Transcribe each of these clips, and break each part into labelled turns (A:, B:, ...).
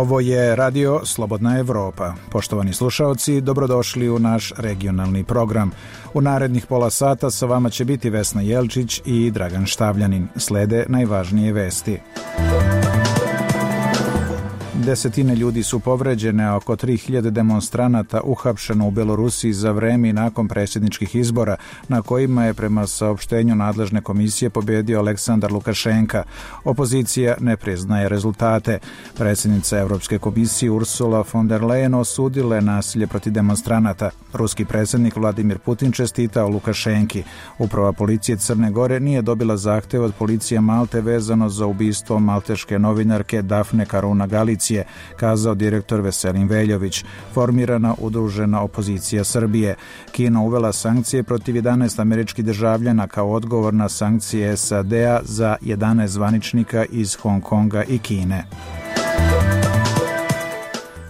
A: Ovo je Radio Slobodna Evropa. Poštovani slušaoci, dobrodošli u naš regionalni program. U narednih pola sata sa vama će biti Vesna Jelčić i Dragan Štavljanin. Slede najvažnije vesti. Desetine ljudi su povređene, a oko 3000 demonstranata uhapšeno u Belorusiji za vreme i nakon predsjedničkih izbora, na kojima je prema saopštenju nadležne komisije pobedio Aleksandar Lukašenka. Opozicija ne priznaje rezultate. Predsjednica Evropske komisije Ursula von der Leyen osudila je nasilje protiv demonstranata. Ruski predsjednik Vladimir Putin čestitao Lukašenki. Uprava policije Crne Gore nije dobila zahtev od policije Malte vezano za ubistvo malteške novinarke Dafne Karuna Galicije, kazao direktor Veselin Veljović. Formirana udružena opozicija Srbije. Kina uvela sankcije protiv 11 američkih državljana kao odgovor na sankcije SAD-a za 11 zvaničnika iz Hong Konga i Kine.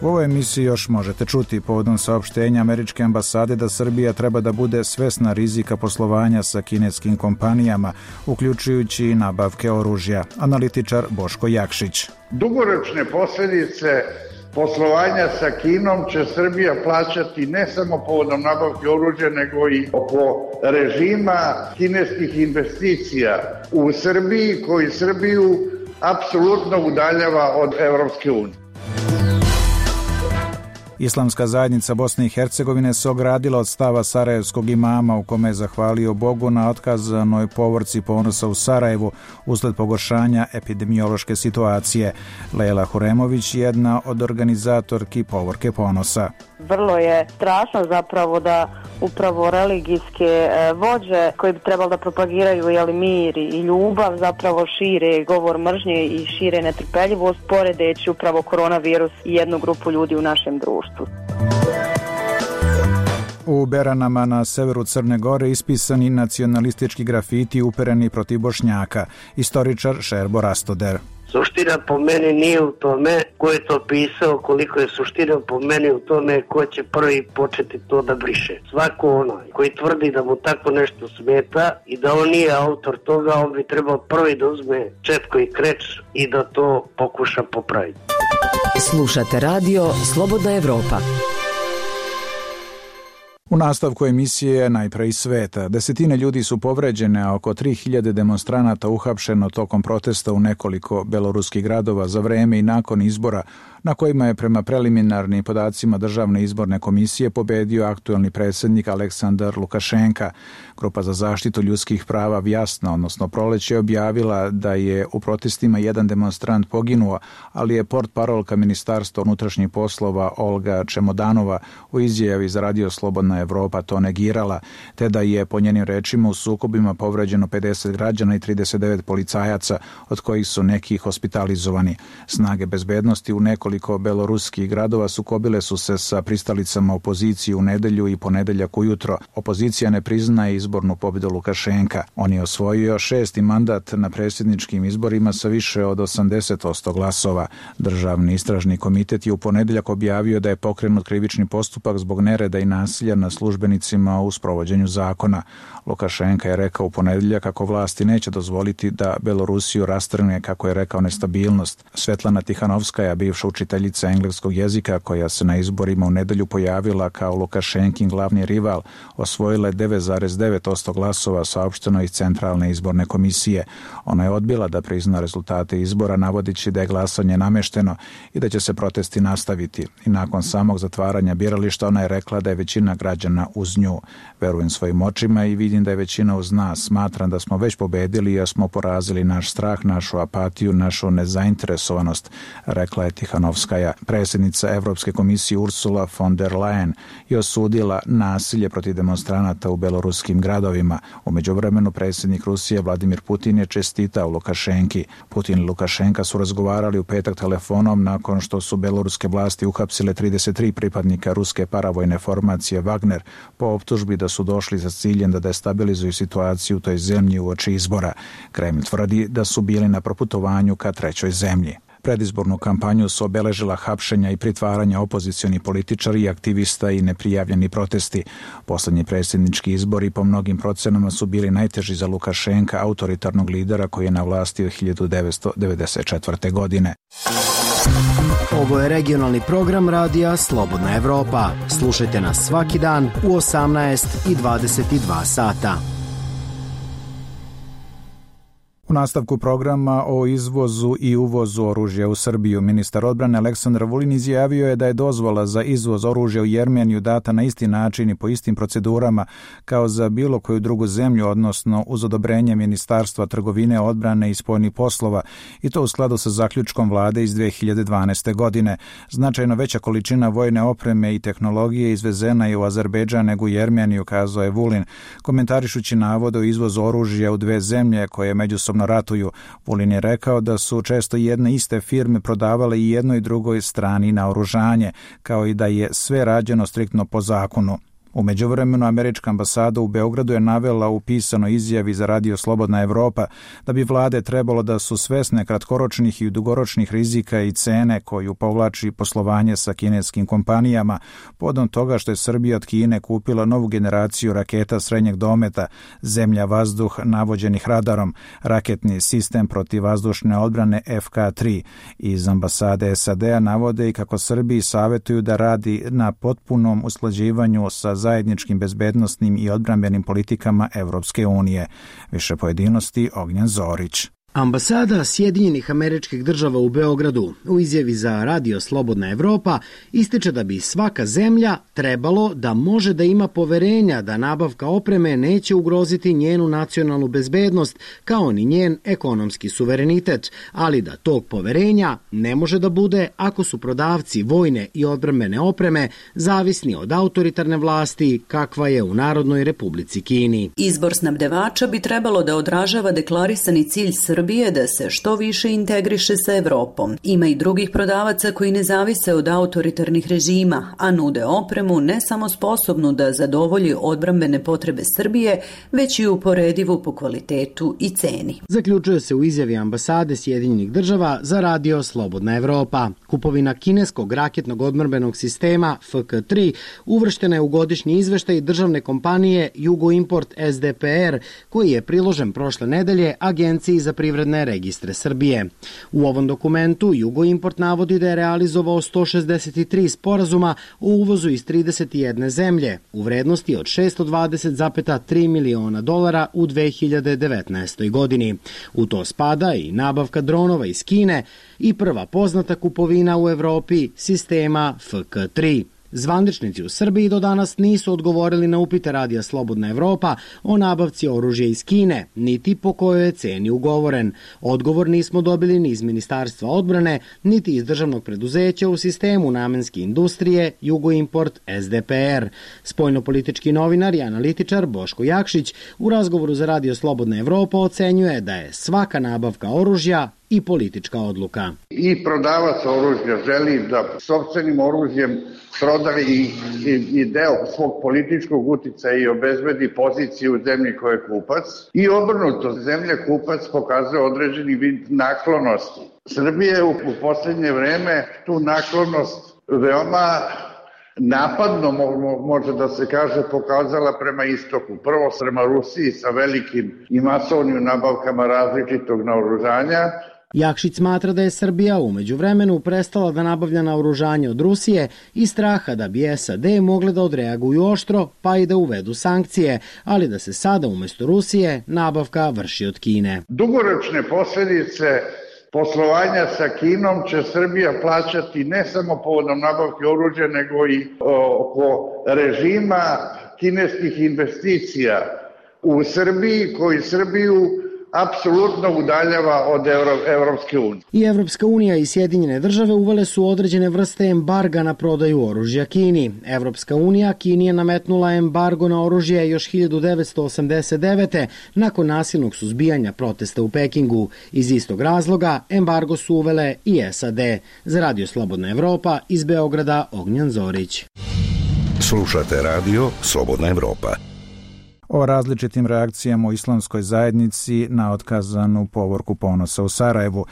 A: U ovoj emisiji još možete čuti povodom saopštenja američke ambasade da Srbija treba da bude svesna rizika poslovanja sa kineskim kompanijama, uključujući i nabavke oružja. Analitičar Boško Jakšić.
B: Dugoročne posljedice poslovanja sa Kinom će Srbija plaćati ne samo povodom nabavke oružja, nego i oko režima kineskih investicija u Srbiji, koji Srbiju apsolutno udaljava od Evropske unije.
A: Islamska zajednica Bosne i Hercegovine se ogradila od stava sarajevskog imama u kome je zahvalio Bogu na otkazanoj povorci ponosa u Sarajevu usled pogoršanja epidemiološke situacije. Lejla Huremović, jedna od organizatorki povorke ponosa.
C: Vrlo je strašno zapravo da upravo religijske vođe koji bi trebali da propagiraju mir i ljubav zapravo šire govor mržnje i šire netrpeljivost, poredeći upravo koronavirus i jednu grupu ljudi u našem društvu.
A: U Beranama na severu Crne Gore ispisani nacionalistički grafiti upereni protiv Bošnjaka. Istoričar Šerbo Rastoder.
D: Suština po meni nije u tome ko je to pisao, koliko je suština po meni u tome ko će prvi početi to da briše. Svako onaj koji tvrdi da mu tako nešto smeta i da on nije autor toga, on bi trebao prvi da uzme četko i kreč i da to pokuša popraviti.
E: Slušate radio Slobodna Evropa.
A: U nastavku emisije najpre iz sveta. Desetine ljudi su povređene, a oko 3000 demonstranata uhapšeno tokom protesta u nekoliko beloruskih gradova za vreme i nakon izbora, na kojima je prema preliminarnim podacima Državne izborne komisije pobedio aktuelni predsjednik Aleksandar Lukašenka. Grupa za zaštitu ljudskih prava Vjasna, odnosno Proleće, objavila da je u protestima jedan demonstrant poginuo, ali je portparolka Ministarstva unutrašnjih poslova Olga Čemodanova u izjavi za Radio Slobodna Evropa to negirala, te da je po njenim rečima u sukobima povređeno 50 građana i 39 policajaca, od kojih su neki hospitalizovani. Snage bezbednosti u nekoliko beloruskih gradova sukobile su se sa pristalicama opozicije u nedelju i ponedeljak ujutro. Opozicija ne priznaje izbornu pobjedu Lukašenka. On je osvojio 6. mandat na predsjedničkim izborima sa više od 80% glasova. Državni istražni komitet je u ponedeljak objavio da je pokrenut krivični postupak zbog nereda i nasilja na službenicima u sprovođenju zakona. Lukašenka je rekao u ponedeljak kako vlasti neće dozvoliti da Belorusiju rastrgne, kako je rekao, nestabilnost. Svetlana Tihanovskaja, bivša učiteljica engleskog jezika koja se na izborima u nedelju pojavila kao Lukašenkin glavni rival, osvojila je 9,9% glasova, saopšteno iz Centralne izborne komisije. Ona je odbila da prizna rezultate izbora, navodići da je glasanje namešteno i da će se protesti nastaviti. I nakon samog zatvaranja birališta ona je rekla da je većina građana uz nju. Verujem svojim očima i vidim da je većina uz nas. Smatram da smo već pobedili jer smo porazili naš strah, našu apatiju, našu nezainteresovanost, rekla je Tihanovskaja. Predsjednica Evropske komisije Ursula von der Leyen je osudila nasilje protiv demonstranata u beloruskim gradovima. U međuvremenu predsjednik Rusije Vladimir Putin je čestitao Lukašenki. Putin i Lukašenka su razgovarali u petak telefonom nakon što su beloruske vlasti uhapsile 33 pripadnika ruske paravojne formacije Wagner po optužbi da su došli za ciljem da destabilizuju situaciju u toj zemlji uoči izbora. Kreml tvrdi da su bili na proputovanju ka trećoj zemlji. Predizbornu kampanju su obeležila hapšenja i pritvaranja opozicionih političari, aktivista i neprijavljeni protesti. Poslednji predsjednički izbori po mnogim procenama su bili najteži za Lukašenka, autoritarnog lidera koji je na vlasti od 1994. godine.
F: Ovo je regionalni program radija Slobodna Evropa. Slušajte nas svaki dan u 18 i 22 sata.
A: U nastavku programa o izvozu i uvozu oružja u Srbiju, ministar odbrane Aleksandar Vulin izjavio je da je dozvola za izvoz oružja u Jermeniju data na isti način i po istim procedurama kao za bilo koju drugu zemlju, odnosno uz odobrenje Ministarstva trgovine, odbrane i spoljnih poslova, i to u skladu sa zaključkom vlade iz 2012. godine. Značajno veća količina vojne opreme i tehnologije izvezena je u Azerbejdžan nego u Jermeniju, kazao je Vulin, komentarišući navode o izvozu oružja u dve zemlje koje međusobno ratuju. Vulin je rekao da su često jedne iste firme prodavale i jednoj i drugoj strani naoružanje, kao i da je sve rađeno striktno po zakonu. U međuvremenu, američka ambasada u Beogradu je navela u pisanoj izjavi za radio Slobodna Evropa da bi vlade trebalo da su svesne kratkoročnih i dugoročnih rizika i cene koju povlači poslovanje sa kineskim kompanijama, povodom toga što je Srbija od Kine kupila novu generaciju raketa srednjeg dometa, zemlja-vazduh navođenih radarom, raketni sistem protivvazdušne odbrane FK-3. Iz ambasade SAD-a navode i kako Srbiji savjetuju da radi na potpunom usklađivanju sa zajedničkim bezbednosnim i odbrambenim politikama Evropske unije. Više pojedinosti Ognjen Zorić.
F: Ambasada Sjedinjenih Američkih Država u Beogradu u izjavi za radio Slobodna Evropa ističe da bi svaka zemlja trebalo da može da ima poverenja da nabavka opreme neće ugroziti njenu nacionalnu bezbednost kao ni njen ekonomski suverenitet, ali da tog poverenja ne može da bude ako su prodavci vojne i odbrambene opreme zavisni od autoritarne vlasti kakva je u Narodnoj Republici Kini.
G: Izbor snabdevača bi trebalo da odražava deklarisani cilj Srbije da se što više integriše sa Evropom. Ima i drugih prodavaca koji ne zavise od autoritarnih režima, a nude opremu ne samo sposobnu da zadovolji odbrambene potrebe Srbije, već i uporedivu po kvalitetu i ceni.
F: Zaključuje se u izjavi ambasade Sjedinjenih Država za radio Slobodna Evropa. Kupovina kineskog raketnog odbrambenog sistema FK-3 uvrštena je u godišnji izveštaj državne kompanije Jugoimport SDPR, koji je priložen prošle nedelje Agenciji za privredne registre Srbije. U ovom dokumentu Jugoimport navodi da je realizovao 163 sporazuma o uvozu iz 31 zemlje u vrednosti od $620,3 miliona u 2019. godini. U to spada i nabavka dronova iz Kine i prva poznata kupovina u Evropi sistema FK-3. Zvaničnici u Srbiji do danas nisu odgovorili na upite radija Slobodna Evropa o nabavci oružja iz Kine, niti po kojoj je ceni ugovoren. Odgovor nismo dobili ni iz Ministarstva odbrane, niti iz državnog preduzeća u sistemu namenske industrije Jugoimport SDPR. Spoljnopolitički novinar i analitičar Boško Jakšić u razgovoru za radio Slobodna Evropa ocenjuje da je svaka nabavka oružja i politička odluka.
B: I prodavac oružja želi da sopstvenim oružjem prodaje i deo svog političkog uticaja i obezbedi poziciju u zemlji koja je kupac, i obrnuto, zemlja kupac pokazuje određeni vid naklonosti. Srbija je u poslednje vreme tu naklonost veoma napadno, može da se kaže, pokazala prema istoku. Prvo prema Rusiji sa velikim i masovnim nabavkama različitog naoružanja.
F: Jakšić smatra da je Srbija u međuvremenu prestala da nabavlja naoružanje od Rusije i straha da bi SAD mogle da odreaguju oštro pa i da uvedu sankcije, ali da se sada umesto Rusije nabavka vrši od Kine.
B: Dugoročne posledice poslovanja sa Kinom će Srbija plaćati ne samo povodom nabavke oružja, nego i oko režima kineskih investicija u Srbiji, koji Srbiju apsolutno udaljava od Evropske unije.
F: I Evropska unija i Sjedinjene države uvele su određene vrste embarga na prodaju oružja Kini. Evropska unija Kini je nametnula embargo na oružje još 1989. nakon nasilnog suzbijanja protesta u Pekingu. Iz istog razloga embargo su uvele i SAD. Za radio Slobodna Evropa iz Beograda Ognjen Zorić.
H: Slušate radio Slobodna Evropa.
A: o različitim reakcijama u islamskoj zajednici na otkazanu povorku ponosa u Sarajevu.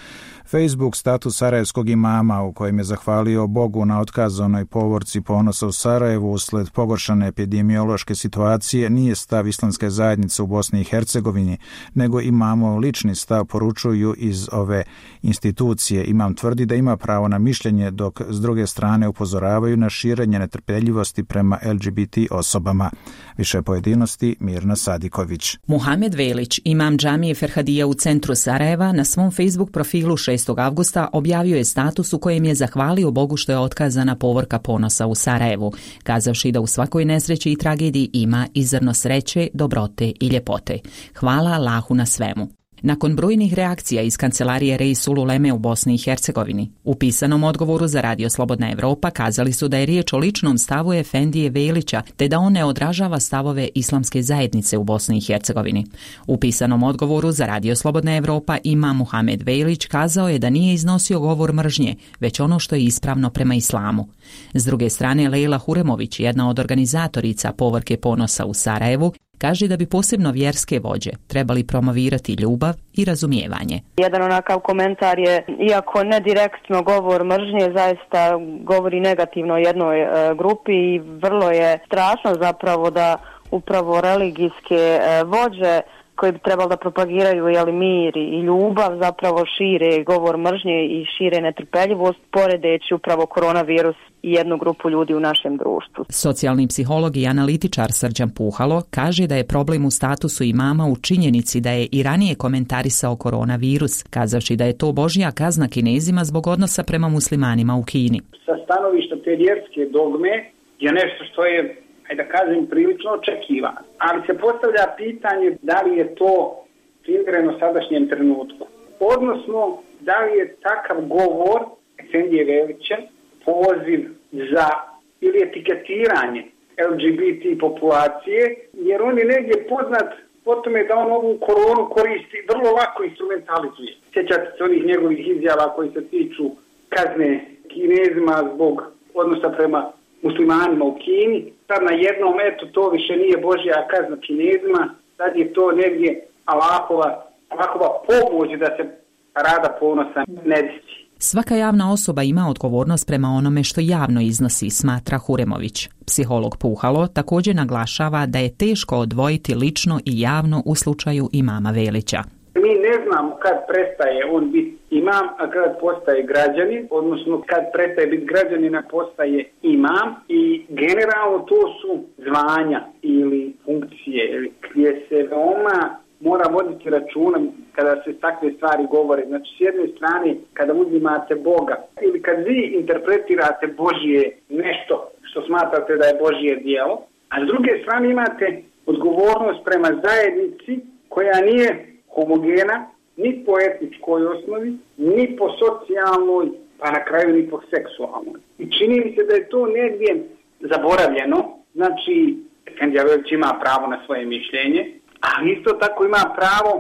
A: Facebook status sarajevskog imama u kojem je zahvalio Bogu na otkazanoj povorci ponosa u Sarajevu usled pogoršane epidemiološke situacije nije stav islamske zajednice u Bosni i Hercegovini, nego imamov lični stav, poručuju iz ove institucije. Imam tvrdi da ima pravo na mišljenje, dok s druge strane upozoravaju na širenje netrpeljivosti prema LGBT osobama. Više pojedinosti Mirna Sadiković.
H: Muhamed Velić, imam džamije Ferhadija u centru Sarajeva, na svom Facebook profilu 6. avgusta objavio je status u kojem je zahvalio Bogu što je otkazana povorka ponosa u Sarajevu, kazavši da u svakoj nesreći i tragediji ima i zrno sreće, dobrote i ljepote. Hvala Allahu na svemu. Nakon brojnih reakcija iz kancelarije Reisul Uleme u Bosni i Hercegovini, u pisanom odgovoru za Radio Slobodna Evropa kazali su da je riječ o ličnom stavu Efendije Velića, te da on ne odražava stavove islamske zajednice u Bosni i Hercegovini. U pisanom odgovoru za Radio Slobodna Evropa imam Muhamed Velić kazao je da nije iznosio govor mržnje, već ono što je ispravno prema islamu. S druge strane, Lejla Huremović, jedna od organizatorica povorke ponosa u Sarajevu, kaže da bi posebno vjerske vođe trebali promovirati ljubav i razumijevanje.
C: Jedan onakav komentar je, iako ne direktno govor mržnje, zaista govori negativno o jednoj grupi i vrlo je strašno zapravo da upravo religijske vođe koji bi trebali da propagiraju mir i ljubav, zapravo šire govor mržnje i šire netrpeljivost, poredeći upravo koronavirus i jednu grupu ljudi u našem društvu.
H: Socijalni psiholog i analitičar Srđan Puhalo kaže da je problem u statusu imama u činjenici da je i ranije komentarisao koronavirus, kazavši da je to božja kazna Kinezima zbog odnosa prema muslimanima u Kini.
I: Sa stanovišta te vjerske dogme je nešto što je, da kažem, prilično očekivano. Ali se postavlja pitanje da li je to primjereno sadašnjem trenutku. Odnosno, da li je takav govor Efendije Velića poziv za ili etiketiranje LGBT populacije, jer on je negdje poznat po tome da on ovu koronu koristi, vrlo lako instrumentalizuje. Sjećate se onih njegovih izjava koji se tiču kazne Kinezima zbog odnosa prema muslimanima u Kini. Sad na jednom, to više nije božja kazna Kinezima, sad je to negdje Allahova pomoć da se Rada ponosa ne desi.
H: Svaka javna osoba ima odgovornost prema onome što javno iznosi, smatra Huremović. Psiholog Puhalo također naglašava da je teško odvojiti lično i javno u slučaju imama Velića.
I: Mi ne znamo kad prestaje on biti imam, a kad postaje građanin, odnosno kad prestaje biti građanin, a postaje imam, i generalno to su zvanja ili funkcije gdje se veoma mora voditi računa kada se takve stvari govore. Znači, s jedne strane, kada uzimate Boga ili kad vi interpretirate Božje nešto što smatrate da je Božje djelo, a s druge strane imate odgovornost prema zajednici koja nije homogena ni po etničkoj osnovi, ni po socijalnoj, pa na kraju ni po seksualnoj. I čini mi se da je to negdje zaboravljeno. Znači, Efendija Velić ima pravo na svoje mišljenje, ali isto tako ima pravo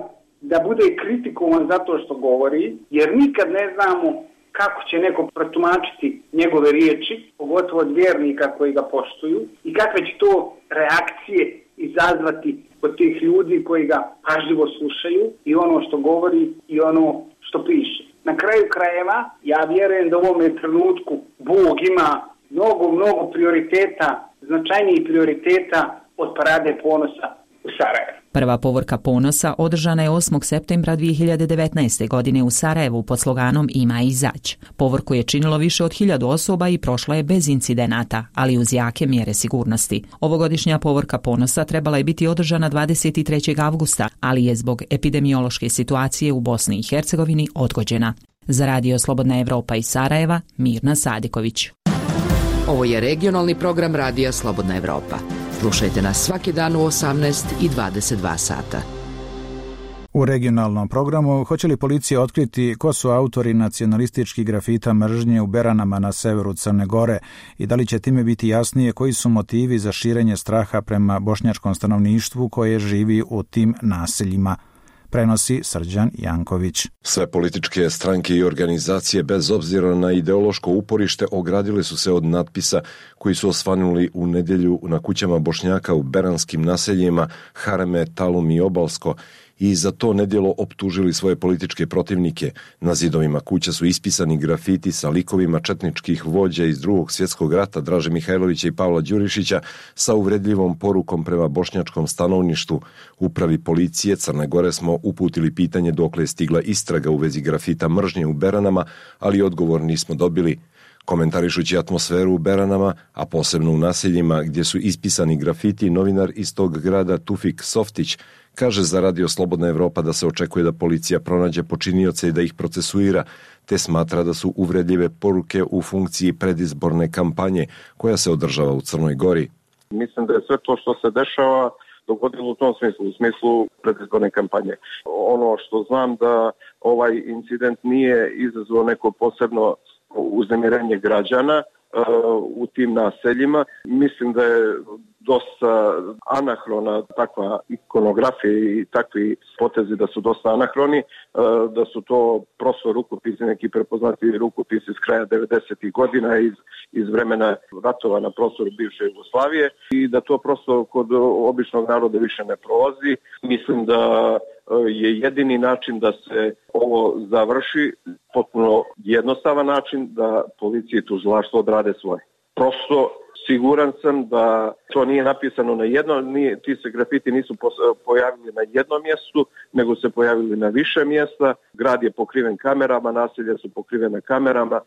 I: da bude kritikovan zato što govori, jer nikad ne znamo kako će neko protumačiti njegove riječi, pogotovo od vjernika koji ga poštuju, i kakve će to reakcije izazvati od tih ljudi koji ga pažljivo slušaju i ono što govori i ono što piše. Na kraju krajeva, ja vjerujem da u ovome trenutku Bog ima mnogo prioriteta, značajnijih prioriteta od Parade ponosa u Sarajevu.
H: Prva povorka ponosa održana je 8. septembra 2019. godine u Sarajevu pod sloganom Ima izać. Povorku je činilo više od 1000 osoba i prošla je bez incidenata, ali uz jake mjere sigurnosti. Ovogodišnja povorka ponosa trebala je biti održana 23. avgusta, ali je zbog epidemiološke situacije u Bosni i Hercegovini odgođena. Za Radio Slobodna Evropa iz Sarajeva, Mirna Sadiković.
E: Ovo je regionalni program Radija Slobodna Evropa. Slušajte nas svaki dan u 18 i 22 sata.
A: U regionalnom programu hoće li policija otkriti ko su autori nacionalističkih grafita mržnje u Beranama na severu Crne Gore i da li će time biti jasnije koji su motivi za širenje straha prema bošnjačkom stanovništvu koje živi u tim naseljima. prenosi Srđan Janković.
J: Sve političke stranke i organizacije bez obzira na ideološko uporište ogradile su se od natpisa koji su osvanuli u nedjelju na kućama Bošnjaka u beranskim naseljima Hareme, Talum i Obalsko i za to nedjelo optužili svoje političke protivnike. Na zidovima kuća su ispisani grafiti sa likovima četničkih vođa iz Drugog svjetskog rata Draže Mihajlovića i Pavla Đurišića sa uvredljivom porukom prema bošnjačkom stanovništvu. Upravi policije Crne Gore smo uputili pitanje dokle je stigla istraga u vezi grafita mržnje u Beranama, ali odgovor nismo dobili. Komentarišući atmosferu u Beranama, a posebno u naseljima gdje su ispisani grafiti, novinar iz tog grada Tufik Softić kaže za Radio Slobodna Evropa da se očekuje da policija pronađe počinioce i da ih procesuira, te smatra da su uvredljive poruke u funkciji predizborne kampanje koja se održava u Crnoj Gori.
K: Mislim da je sve to što se dešava dogodilo u tom smislu, u smislu predizborne kampanje. Ono što znam da ovaj incident nije izazvao neko posebno uznemirenje građana u tim naseljima. Mislim da je dosta anahrona takva ikonografija i takvi potezi da su dosta anahroni, da su to prosto rukopisi, neki prepoznati rukopisi s kraja 90. godina iz vremena ratova na prostoru bivše Jugoslavije i da to prosto kod običnog naroda više ne prolazi. Mislim da je jedini način da se ovo završi potpuno jednostavan način da policija i tužilaštvo odrade svoje. Prosto siguran sam da to nije napisano na jedno, ti se grafiti nisu pojavili na jednom mjestu, nego se pojavili na više mjesta. Grad je pokriven kamerama, naselja su pokrivene kamerama.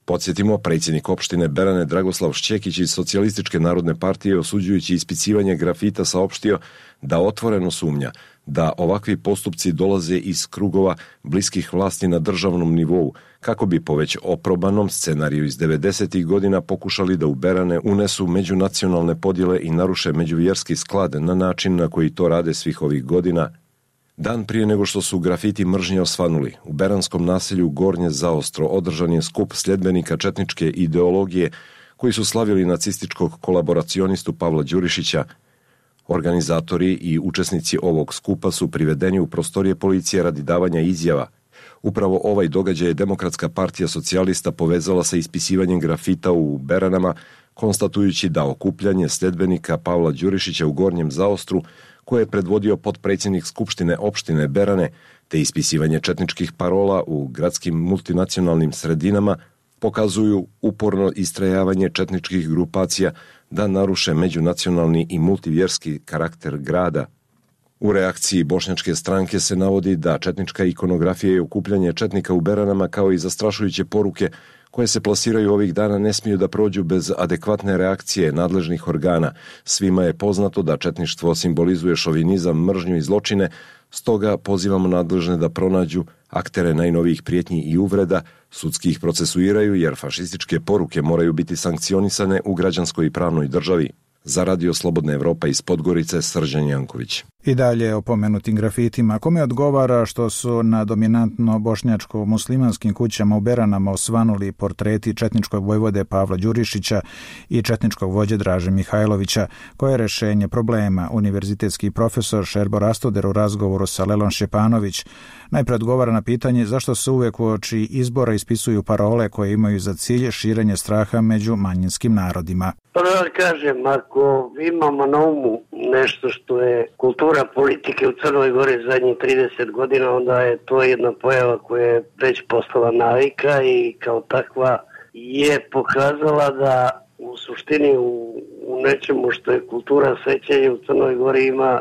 J: Podsjetimo, predsjednik opštine Berane Dragoslav Šćekić iz Socijalističke narodne partije osuđujući ispicivanje grafita saopštio da otvoreno sumnja da ovakvi postupci dolaze iz krugova bliskih vlasti na državnom nivou, kako bi po već oprobanom scenariju iz 90. godina pokušali da u Berane unesu međunacionalne podjele i naruše međuvjerski sklad na način na koji to rade svih ovih godina. Dan prije nego što su grafiti mržnje osvanuli, u beranskom naselju Gornje Zaostro održan je skup sljedbenika četničke ideologije koji su slavili nacističkog kolaboracionistu Pavla Đurišića. Organizatori i učesnici ovog skupa su privedeni u prostorije policije radi davanja izjava. Upravo ovaj događaj je Demokratska partija socijalista povezala sa ispisivanjem grafita u Beranama, konstatujući da okupljanje sljedbenika Pavla Đurišića u Gornjem Zaostru, koje je predvodio potpredsjednik Skupštine opštine Berane, te ispisivanje četničkih parola u gradskim multinacionalnim sredinama, pokazuju uporno istrajavanje četničkih grupacija da naruše međunacionalni i multivjerski karakter grada. U reakciji bošnjačke stranke se navodi da četnička ikonografija i okupljanje četnika u Beranama kao i zastrašujuće poruke koje se plasiraju ovih dana ne smiju da prođu bez adekvatne reakcije nadležnih organa. Svima je poznato da četništvo simbolizuje šovinizam, mržnju i zločine, stoga pozivamo nadležne da pronađu aktere najnovijih prijetnji i uvreda, sudski ih procesuiraju jer fašističke poruke moraju biti sankcionisane u građanskoj i pravnoj državi. Za Radio Slobodna Evropa iz Podgorice, Srđan Janković.
A: I dalje o pomenutim grafitima. Kome odgovara što su na dominantno bošnjačko-muslimanskim kućama u Beranama osvanuli portreti četničkog vojvode Pavla Đurišića i četničkog vođe Draže Mihajlovića? Koje je rešenje problema? Univerzitetski profesor Šerbo Rastoder u razgovoru sa Lelom Šćepanović najpre odgovara na pitanje zašto se uvek uoči izbora ispisuju parole koje imaju za cilj širenje straha među manjinskim narodima.
D: Pa da kažem, ako imamo na umu nešto što je kultura politike u Crnoj Gori zadnjih 30 godina, onda je to jedna pojava koja je već postala navika i kao takva je pokazala da u suštini u nečemu što je kultura sećanja u Crnoj Gori ima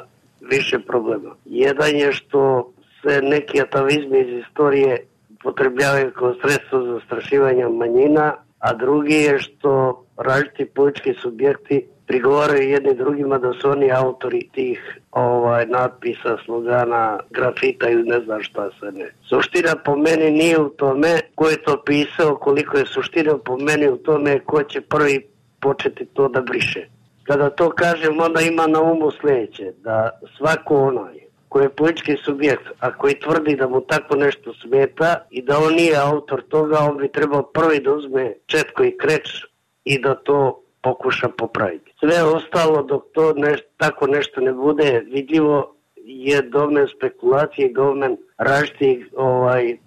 D: više problema. Jedan je što se neki atavizmi iz istorije upotrebljavaju kao sredstvo za zastrašivanje manjina, a drugi je što različiti politički subjekti prigovaraju jedni drugima da su oni autori tih natpisa, slogana, grafita ili ne znam šta se ne. Suština po meni nije u tome ko je to pisao, koliko je suština po meni u tome ko će prvi početi to da briše. Kada to kažem, onda ima na umu sljedeće, da svako onaj koji je politički subjekt, a koji tvrdi da mu tako nešto smeta i da on nije autor toga, on bi trebao prvi da uzme četko i kreč i da to pokuša popraviti. Sve ostalo dok to tako nešto ne bude vidljivo je domen spekulacije i domen različitih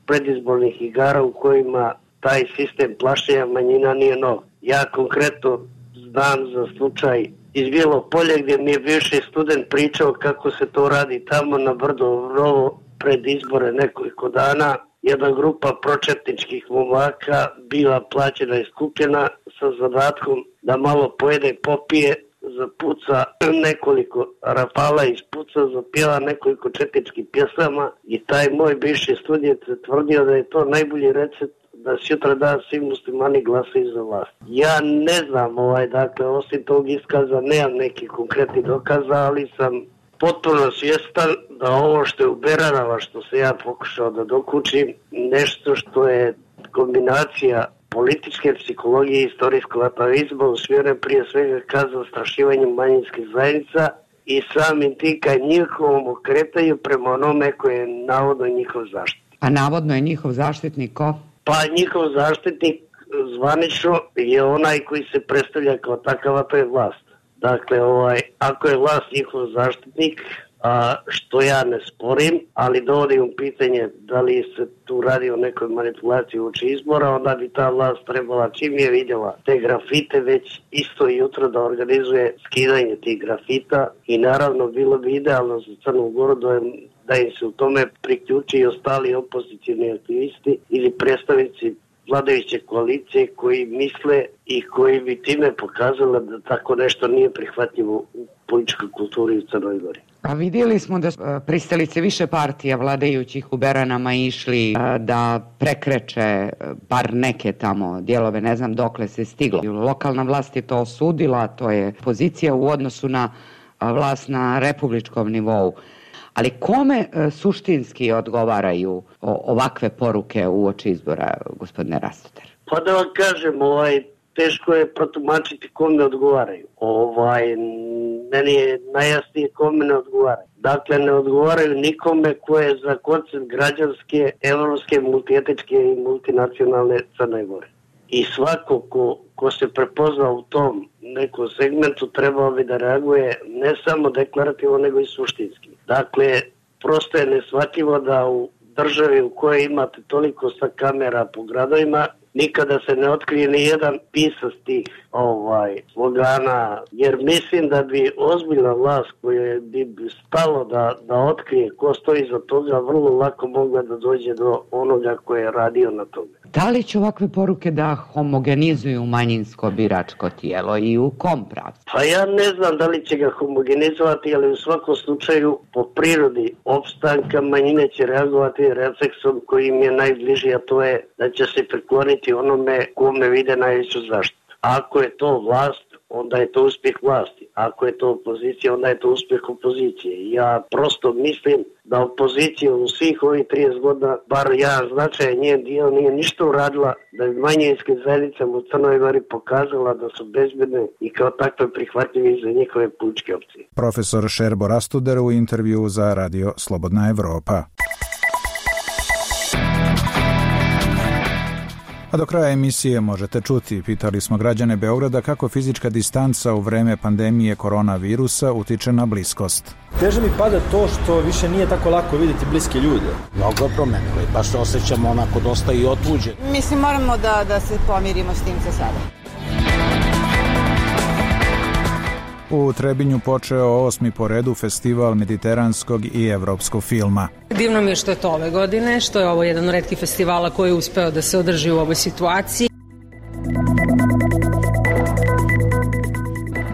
D: predizbornih igara u kojima taj sistem plašenja manjina nije nov. Ja konkretno znam za slučaj iz Bijelo Polje gdje mi je bivši student pričao kako se to radi tamo na Brdo Novo pred izbore nekoliko dana. Jedna grupa pročetničkih momaka bila plaćena i skupljena sa zadatkom da malo pojede i popije, zapuca nekoliko rafala ispuca, zapjeva nekoliko četničkih pjesama i taj moj bivši student tvrdio da je to najbolji recept da sutra dan svi muslimani glasaju za vlast. Ja ne znam, dakle, osim tog iskaza nemam nekih konkretnih dokaza, ali sam potpuno svjestan da ovo što je u Beranama, što se ja pokušao da dokučim, nešto što je kombinacija političke psihologije i istorijskog atavizma usmjeren prije svega ka zastrašivanju manjinskih zajednica i samim tim ka njihovom okretaju prema onome koje je navodno njihov zaštitnik.
L: A navodno je njihov zaštitnik ko?
D: Pa njihov zaštitnik zvanično je onaj koji se predstavlja kao takav, a to je vlast. Dakle, ako je vlast njihov zaštitnik, što ja ne sporim, ali dovodim u pitanje da li se tu radi o nekoj manipulaciji uoči izbora, onda bi ta vlast trebala, čim je vidjela te grafite, već isto jutro da organizuje skidanje tih grafita i naravno bilo bi idealno za Crnu Goru da im se u tome priključi i ostali opozicijni aktivisti ili predstavnici vladajuće koalicije koji misle i koji bi time pokazali da tako nešto nije prihvatljivo u političkoj kulturi u Crnoj Gori.
L: A vidjeli smo da pristalice više partija vladajućih u Beranama išli da prekreče bar neke tamo dijelove, ne znam dokle se stiglo. Lokalna vlast je to osudila, to je pozicija u odnosu na vlast na republičkom nivou. Ali kome suštinski odgovaraju ovakve poruke uoči izbora, gospodine Rastoter?
D: Pa da vam kažem, teško je protumačiti kome odgovaraju. Meni je najjasnije kome ne odgovaraju. Dakle, ne odgovaraju nikome ko je za koncept građanske, evropske, multietičke i multinacionalne Crne Gore. I svako ko se prepozna u tom nekom segmentu trebao bi da reaguje ne samo deklarativno, nego i suštinski. Dakle, prosto je neshvatljivo da u državi u kojoj imate toliko sa kamera po gradovima, nikada se ne otkrije ni jedan pisac tih slogana, jer mislim da bi ozbiljna vlast koja bi stalo da otkrije ko stoji za toga, vrlo lako mogla da dođe do onoga ko je radio na tome.
L: Da li će ovakve poruke da homogenizuju manjinsko biračko tijelo i u kom pravcu?
D: Pa ja ne znam da li će ga homogenizovati, ali u svakom slučaju po prirodi opstanka manjine će reagovati refleksom koji im je najbliži, a to je da će se prikloniti onome kome vide najveću zaštitu. Ako je to vlast, onda je to uspjeh vlasti. Ako je to opozicija, onda je to uspjeh opozicije. Ja prosto mislim da opozicija u svih ovih 30 godina, bar ja značajan njen dio, nije ništa uradila da bi manjinske zajednice u Crnoj Gori pokazala da su bezbedne i kao takve prihvatljive za njihove političke opcije.
A: Profesor Šerbo Rastuder u intervju za Radio Slobodna Evropa. A do kraja emisije možete čuti, pitali smo građane Beograda kako fizička distanca u vreme pandemije koronavirusa utiče na bliskost.
M: Teže mi pada to što više nije tako lako vidjeti bliske ljude.
N: Mnogo je promenilo i baš se osjećamo onako dosta i otuđeni.
O: Mislim, moramo da se pomirimo s tim za sada.
A: U Trebinju počeo 8. po redu festival mediteranskog i evropskog filma.
P: Divno mi je što je to ove godine, što je ovo jedan od retkih festivala koji je uspeo da se održi u ovoj situaciji.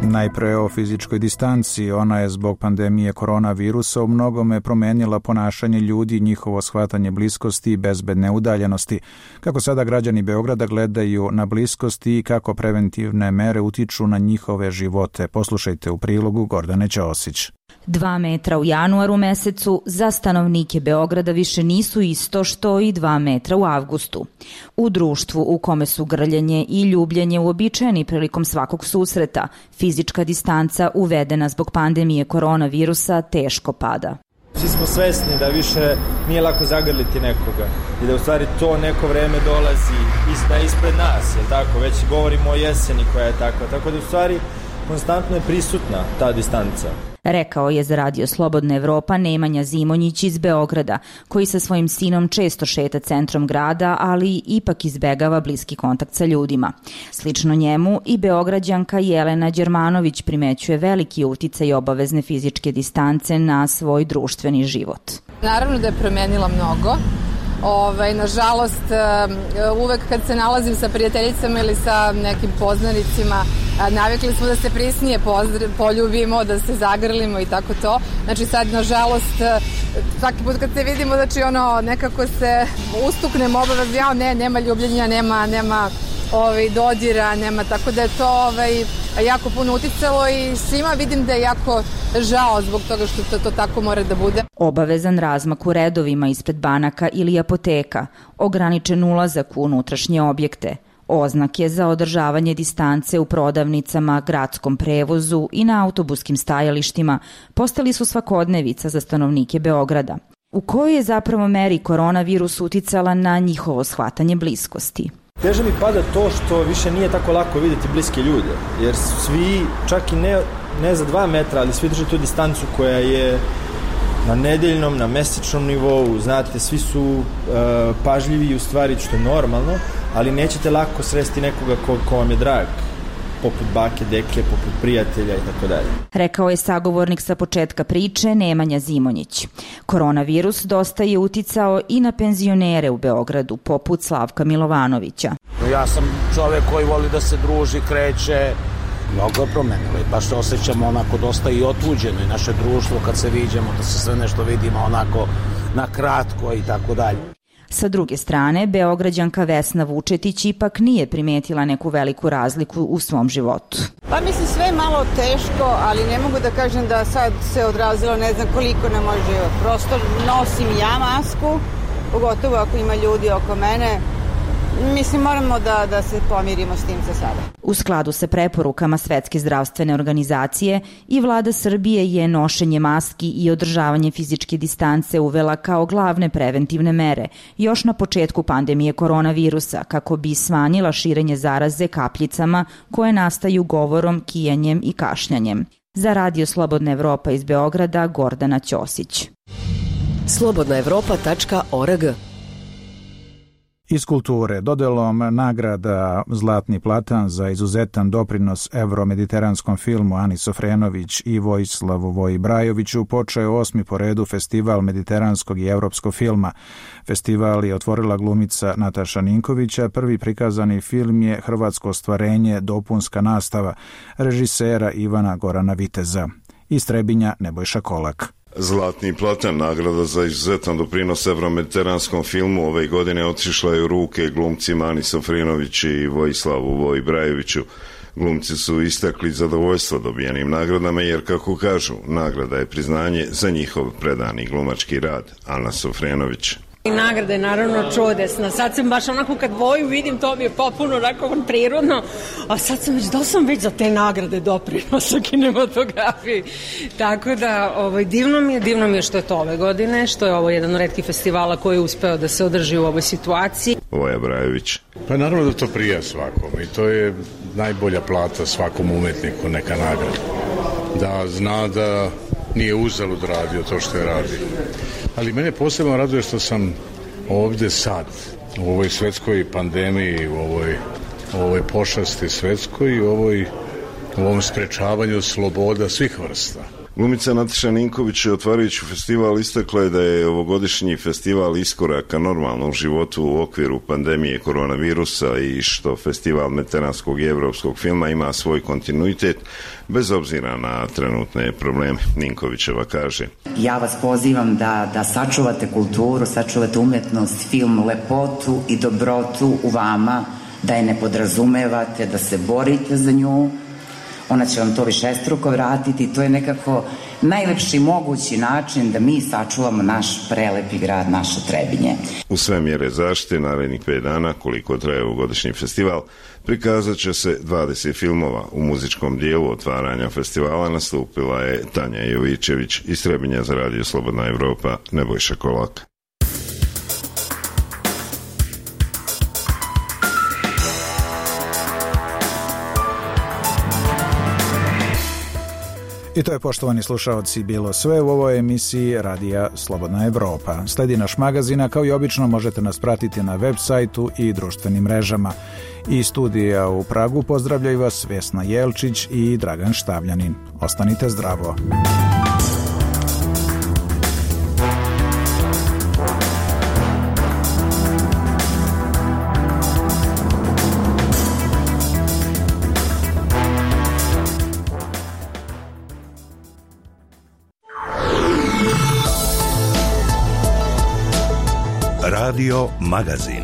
A: Najpre o fizičkoj distanci. Ona je zbog pandemije koronavirusa u mnogome promenila ponašanje ljudi, njihovo shvatanje bliskosti i bezbedne udaljenosti. Kako sada građani Beograda gledaju na bliskosti i kako preventivne mere utiču na njihove živote. Poslušajte u prilogu Gordane Ćosić.
Q: 2 metra u januaru mesecu za stanovnike Beograda više nisu isto što i 2 metra u avgustu. U društvu u kome su grljenje i ljubljenje uobičajeni prilikom svakog susreta, fizička distanca uvedena zbog pandemije koronavirusa teško pada.
M: Svi smo svesni da više nije lako zagrliti nekoga i da u stvari to neko vreme dolazi ispred nas, je tako? Već govorimo o jeseni koja je takva, tako da u stvari konstantno je prisutna ta distanca.
Q: Rekao je za Radio Slobodna Evropa Nemanja Zimonjić iz Beograda, koji sa svojim sinom često šeta centrom grada, ali ipak izbegava bliski kontakt sa ljudima. Slično njemu i Beograđanka Jelena Đermanović primećuje veliki uticaj obavezne fizičke distance na svoj društveni život.
R: Naravno da je promenila mnogo. Nažalost, uvek kad se nalazim sa prijateljicama ili sa nekim poznanicima, navikli smo da se prisnije poljubimo, da se zagrlimo i tako to. Znači sad, nažalost, svaki put kad se vidimo, znači nekako se ustuknemo obavezno, nema ljubljenja, nema dodira, nema, tako da je to jako puno uticalo i svima vidim da je jako žao zbog toga što to tako mora da bude.
Q: Obavezan razmak u redovima ispred banaka ili apoteka, ograničen ulazak u unutrašnje objekte, oznake za održavanje distance u prodavnicama, gradskom prevozu i na autobuskim stajalištima postali su svakodnevica za stanovnike Beograda. U kojoj je zapravo meri koronavirus uticala na njihovo shvatanje bliskosti?
M: Teže mi pada to što više nije tako lako vidjeti bliske ljude, jer svi, čak i ne za 2 metra, ali svi drže tu distancu koja je na nedeljnom, na mesečnom nivou, znate, svi su pažljivi u stvari, što je normalno, ali nećete lako sresti nekoga ko vam je drag, poput bake, deke, poput prijatelja i tako dalje.
Q: Rekao je sagovornik sa početka priče Nemanja Zimonjić. Koronavirus dosta je uticao i na penzionere u Beogradu, poput Slavka Milovanovića.
N: Ja sam čovek koji voli da se druži, kreće, mnogo je promenilo i baš se osjećamo onako dosta i otuđeno i naše društvo kad se viđemo, da se sve nešto vidimo onako na kratko i tako dalje.
Q: Sa druge strane, Beograđanka Vesna Vučetić ipak nije primetila neku veliku razliku u svom životu.
O: Pa mislim sve je malo teško, ali ne mogu da kažem da sad se odrazilo ne znam koliko na moj život. Prosto nosim ja masku, pogotovo ako ima ljudi oko mene. Mislim, moramo da se pomirimo s tim za sada.
Q: U skladu sa preporukama Svetske zdravstvene organizacije i vlada Srbije je nošenje maski i održavanje fizičke distance uvela kao glavne preventivne mere još na početku pandemije koronavirusa kako bi smanjila širenje zaraze kapljicama koje nastaju govorom, kijanjem i kašljanjem. Za Radio Slobodna Evropa iz Beograda, Gordana Ćosić.
E: slobodnaevropa.org.
A: Iz kulture, dodelom nagrada Zlatni platan za izuzetan doprinos evromediteranskom filmu Ani Sofrenović i Vojislavu Voji Brajoviću počeo 8. po redu Festival mediteranskog i evropskog filma. Festival je otvorila glumica Nataša Ninkovića, prvi prikazani film je hrvatsko ostvarenje Dopunska nastava režisera Ivana Gorana Viteza. Iz Trebinja Nebojša Kolak.
S: Zlatni platan, nagrada za izuzetan doprinos evromediteranskom filmu, ove godine otišla je u ruke glumcima Ani Sofrenović i Vojislavu Voji Brajoviću. Glumci su istakli zadovoljstvo dobijenim nagradama jer, kako kažu, nagrada je priznanje za njihov predani glumački rad. Ana Sofrenović.
P: Nagrada je naravno čudesna. Sad sam baš onako kad Voju vidim, to mi je popuno onako prirodno, a sad sam već za te nagrade doprinosa kinematografiji. Tako da divno mi je što je to ove godine, što je ovo jedan od retkih festivala koji je uspeo da se održi u ovoj situaciji.
S: Voja Brajović.
T: Pa naravno da to prija svakom i to je najbolja plata svakom umetniku, neka nagrada. Da zna da nije uzalud radio to što je radio. Ali mene posebno raduje što sam ovde sad, u ovoj svetskoj pandemiji, u ovoj pošasti svetskoj i u ovom sprečavanju sloboda svih vrsta.
S: Glumica Nataša Ninković, otvarajući festival, istakla je da je ovogodišnji festival iskoraka normalnog životu u okviru pandemije koronavirusa i što festival mediteranskog i evropskog filma ima svoj kontinuitet bez obzira na trenutne probleme. Ninkovićeva kaže:
U: Ja vas pozivam da sačuvate kulturu, sačuvate umetnost, film, lepotu i dobrotu u vama, da je ne podrazumevate, da se borite za nju. Ona će vam to višestruko vratiti. To je nekako najlepši mogući način da mi sačuvamo naš prelepi grad, naše Trebinje.
S: U sve mjere zaštite narednih 5 dana, koliko traje ovogodišnji festival, prikazat će se 20 filmova. U muzičkom dijelu otvaranja festivala nastupila je Tanja Jovićević iz Trebinja za Radio Slobodna Evropa, Nebojša Kolak.
A: I to je, poštovani slušaoci, bilo sve u ovoj emisiji Radija Slobodna Evropa. Sledi naš magazin, kao i obično možete nas pratiti na web sajtu i društvenim mrežama. I studija u Pragu pozdravljaju vas Vesna Jelčić i Dragan Štavljanin. Ostanite zdravo.
G: Radio Magazin.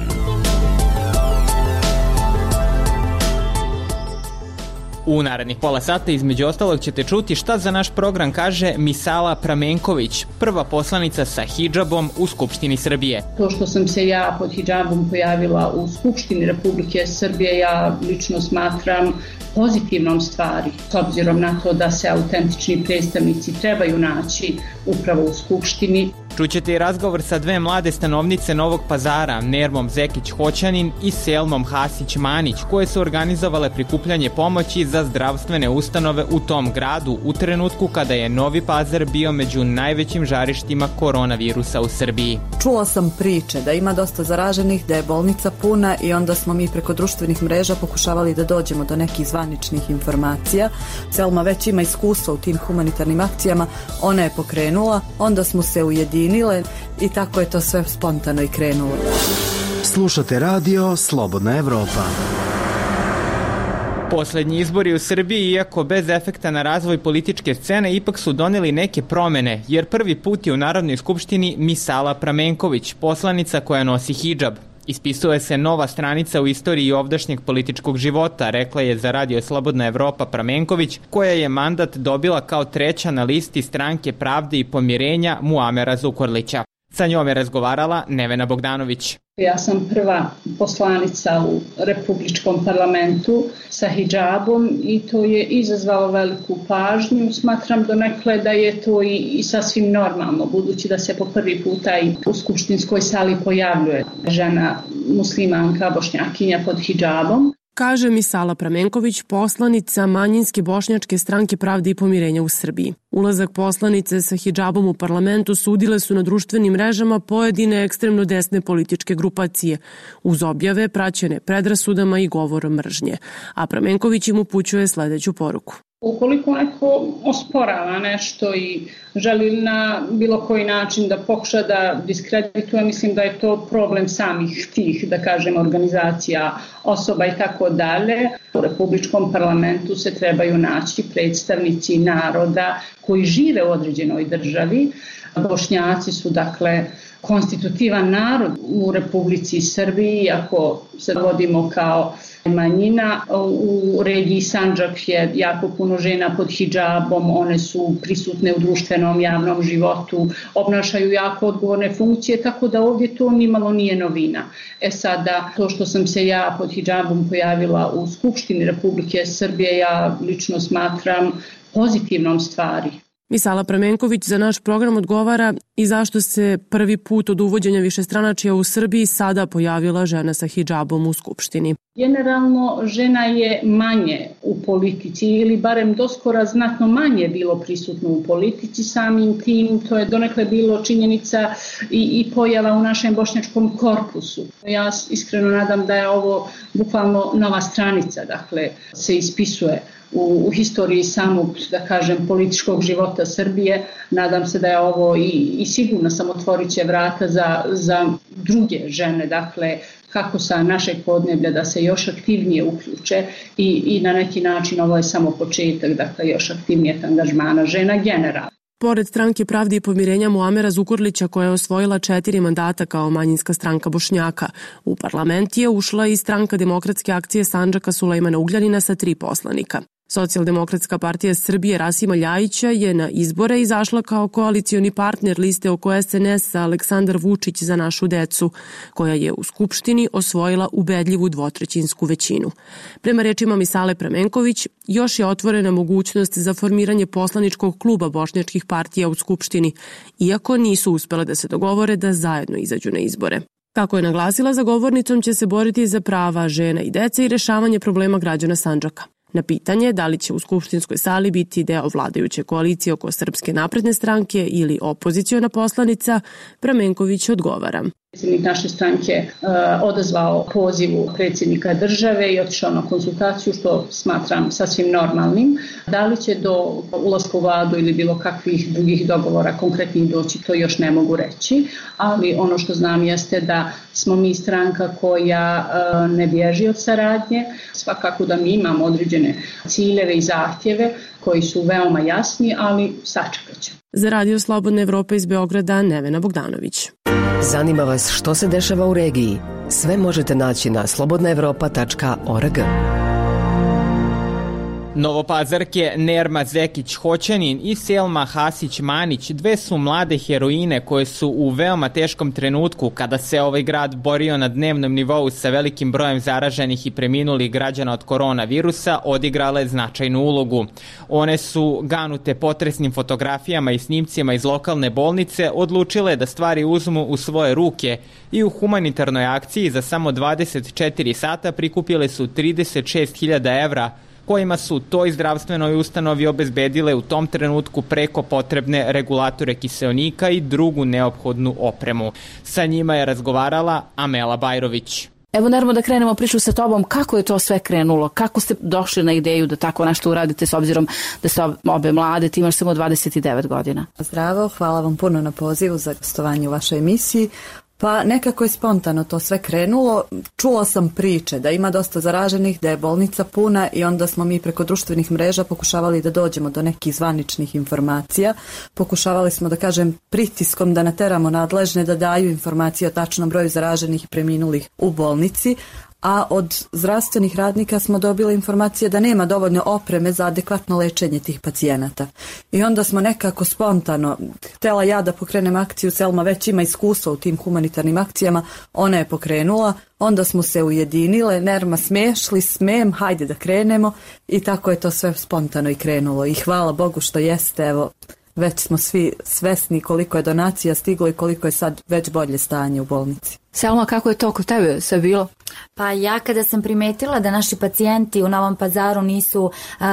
V: U narednih pola sata između ostalog ćete čuti šta za naš program kaže Misala Pramenković, prva poslanica sa hidžabom u Skupštini Srbije.
W: To što sam se ja pod hidžabom pojavila u Skupštini Republike Srbije, ja lično smatram pozitivnom stvari, s obzirom na to da se autentični predstavnici trebaju naći upravo u Skupštini.
V: Čućete i razgovor sa dve mlade stanovnice Novog Pazara, Nermom Zekić-Hoćanin i Selmom Hasić-Manić, koje su organizovale prikupljanje pomoći za zdravstvene ustanove u tom gradu u trenutku kada je Novi Pazar bio među najvećim žarištima koronavirusa u Srbiji.
X: Čula sam priče da ima dosta zaraženih, da je bolnica puna i onda smo mi preko društvenih mreža pokušavali da dođemo do nekih zvaničnih informacija. Selma već ima iskustva u tim humanitarnim akcijama, ona je pokrenula, onda smo se ujedinili i tako je to sve spontano i krenulo.
F: Slušate radio Slobodna Evropa.
V: Poslednji izbori u Srbiji, iako bez efekta na razvoj političke scene, ipak su doneli neke promene, jer prvi put je u Narodnoj skupštini Misala Pramenković, poslanica koja nosi hidžab. Ispisuje se nova stranica u istoriji ovdašnjeg političkog života, rekla je za Radio Slobodna Evropa Pramenković, koja je mandat dobila kao treća na listi Stranke pravde i pomirenja Muamera Zukorlića. Sa njom je razgovarala Nevena Bogdanović.
W: Ja sam prva poslanica u Republičkom parlamentu sa hidžabom i to je izazvalo veliku pažnju. Smatram donekle da je to i sasvim normalno, budući da se po prvi puta i u skupštinskoj sali pojavljuje žena muslimanka bošnjakinja pod hidžabom.
Y: Kaže Misala Pramenković, poslanica manjinske bošnjačke Stranke pravde i pomirenja u Srbiji. Ulazak poslanice sa hidžabom u parlamentu sudile su na društvenim mrežama pojedine ekstremno desne političke grupacije, uz objave praćene predrasudama i govorom mržnje. A Pramenković im upućuje sledeću poruku.
W: Ukoliko neko osporava nešto i želi na bilo koji način da pokuša da diskredituje, mislim da je to problem samih tih, da kažem, organizacija, osoba i tako dalje. U Republičkom parlamentu se trebaju naći predstavnici naroda koji žive u određenoj državi. Bošnjaci su, dakle, konstitutivan narod u Republici Srbiji, ako se vodimo kao manjina. U regiji Sandžak je jako puno žena pod hidžabom, one su prisutne u društvenom javnom životu, obnašaju jako odgovorne funkcije, tako da ovdje to nimalo nije novina. Sada, to što sam se ja pod hidžabom pojavila u Skupštini Republike Srbije, ja lično smatram pozitivnom stvari.
Y: Misala Pramenković za naš program odgovara i zašto se prvi put od uvođenja višestranačja u Srbiji sada pojavila žena sa hidžabom u Skupštini.
W: Generalno, žena je manje u politici ili barem doskora znatno manje bilo prisutno u politici, samim tim to je donekle bilo činjenica i pojava u našem bošnjačkom korpusu. Ja iskreno nadam da je ovo bukvalno nova stranica, dakle se ispisuje u historiji samog, da kažem, političkog života Srbije. Nadam se da je ovo i sigurno sam otvorit će vrata za druge žene, dakle, kako sa našeg podneblja da se još aktivnije uključe i na neki način ovo je samo početak, dakle, još aktivnijeg angažmana žena generalno.
Y: Pored Stranke pravde i pomirenja Muamera Zukorlića, koja je osvojila 4 mandata kao manjinska stranka Bošnjaka, u parlament je ušla i Stranka demokratske akcije Sandžaka Sulejmana Ugljanina sa 3 poslanika. Socijaldemokratska partija Srbije Rasima Ljajića je na izbore izašla kao koalicioni partner liste oko SNS-a Aleksandar Vučić za našu decu, koja je u Skupštini osvojila ubedljivu dvotrećinsku većinu. Prema rečima Misale Pramenković, još je otvorena mogućnost za formiranje poslaničkog kluba bošnjačkih partija u Skupštini, iako nisu uspele da se dogovore da zajedno izađu na izbore. Kako je naglasila, za govornicom će se boriti za prava žena i dece i rešavanje problema građana Sandžaka. Na pitanje da li će u skupštinskoj sali biti deo vladajuće koalicije oko Srpske napredne stranke ili opoziciona poslanica, Pramenković odgovara.
W: Predsjednik naše stranke odazvao pozivu predsjednika države i otišao na konsultaciju, što smatram sasvim normalnim. Da li će do ulaska u vladu ili bilo kakvih drugih dogovora konkretnih doći, to još ne mogu reći, ali ono što znam jeste da smo mi stranka koja ne bježi od saradnje. Svakako da mi imamo određene ciljeve i zahtjeve koji su veoma jasni, ali sačekat ćemo.
Y: Za Radio Slobodna Evropa iz Beograda, Nevena Bogdanović.
B: Zanima vas što se dešava u regiji? Sve možete naći na slobodnaevropa.org.
V: Novopazarke Nerma Zekić-Hoćanin i Selma Hasić-Manić dve su mlade heroine koje su u veoma teškom trenutku, kada se ovaj grad borio na dnevnom nivou sa velikim brojem zaraženih i preminulih građana od koronavirusa, odigrale značajnu ulogu. One su, ganute potresnim fotografijama i snimcima iz lokalne bolnice, odlučile da stvari uzmu u svoje ruke i u humanitarnoj akciji za samo 24 sata prikupile su 36.000 evra, kojima su toj zdravstvenoj ustanovi obezbedile u tom trenutku preko potrebne regulatore kiseonika i drugu neophodnu opremu. Sa njima je razgovarala Amela Bajrović.
C: Evo, Nermo, da krenemo priču sa tobom. Kako je to sve krenulo? Kako ste došli na ideju da tako nešto uradite, s obzirom da ste obe mlade, ti imaš samo 29 godina?
X: Zdravo, hvala vam puno na pozivu za gostovanje u vašoj emisiji. Pa nekako je spontano to sve krenulo. Čula sam priče da ima dosta zaraženih, da je bolnica puna i onda smo mi preko društvenih mreža pokušavali da dođemo do nekih zvaničnih informacija. Pokušavali smo, da kažem, pritiskom da nateramo nadležne da daju informacije o tačnom broju zaraženih i preminulih u bolnici, a od zdravstvenih radnika smo dobili informacije da nema dovoljno opreme za adekvatno lečenje tih pacijenata. I onda smo nekako spontano, htjela ja da pokrenem akciju, Selma već ima iskustva u tim humanitarnim akcijama, ona je pokrenula, onda smo se ujedinile, Nerma smem, hajde da krenemo i tako je to sve spontano i krenulo. I hvala Bogu što jeste, evo, već smo svi svesni koliko je donacija stiglo i koliko je sad već bolje stanje u bolnici.
C: Selma, kako je to kod tebe sve bilo?
Q: Pa ja kada sam primetila da naši pacijenti u Novom Pazaru nisu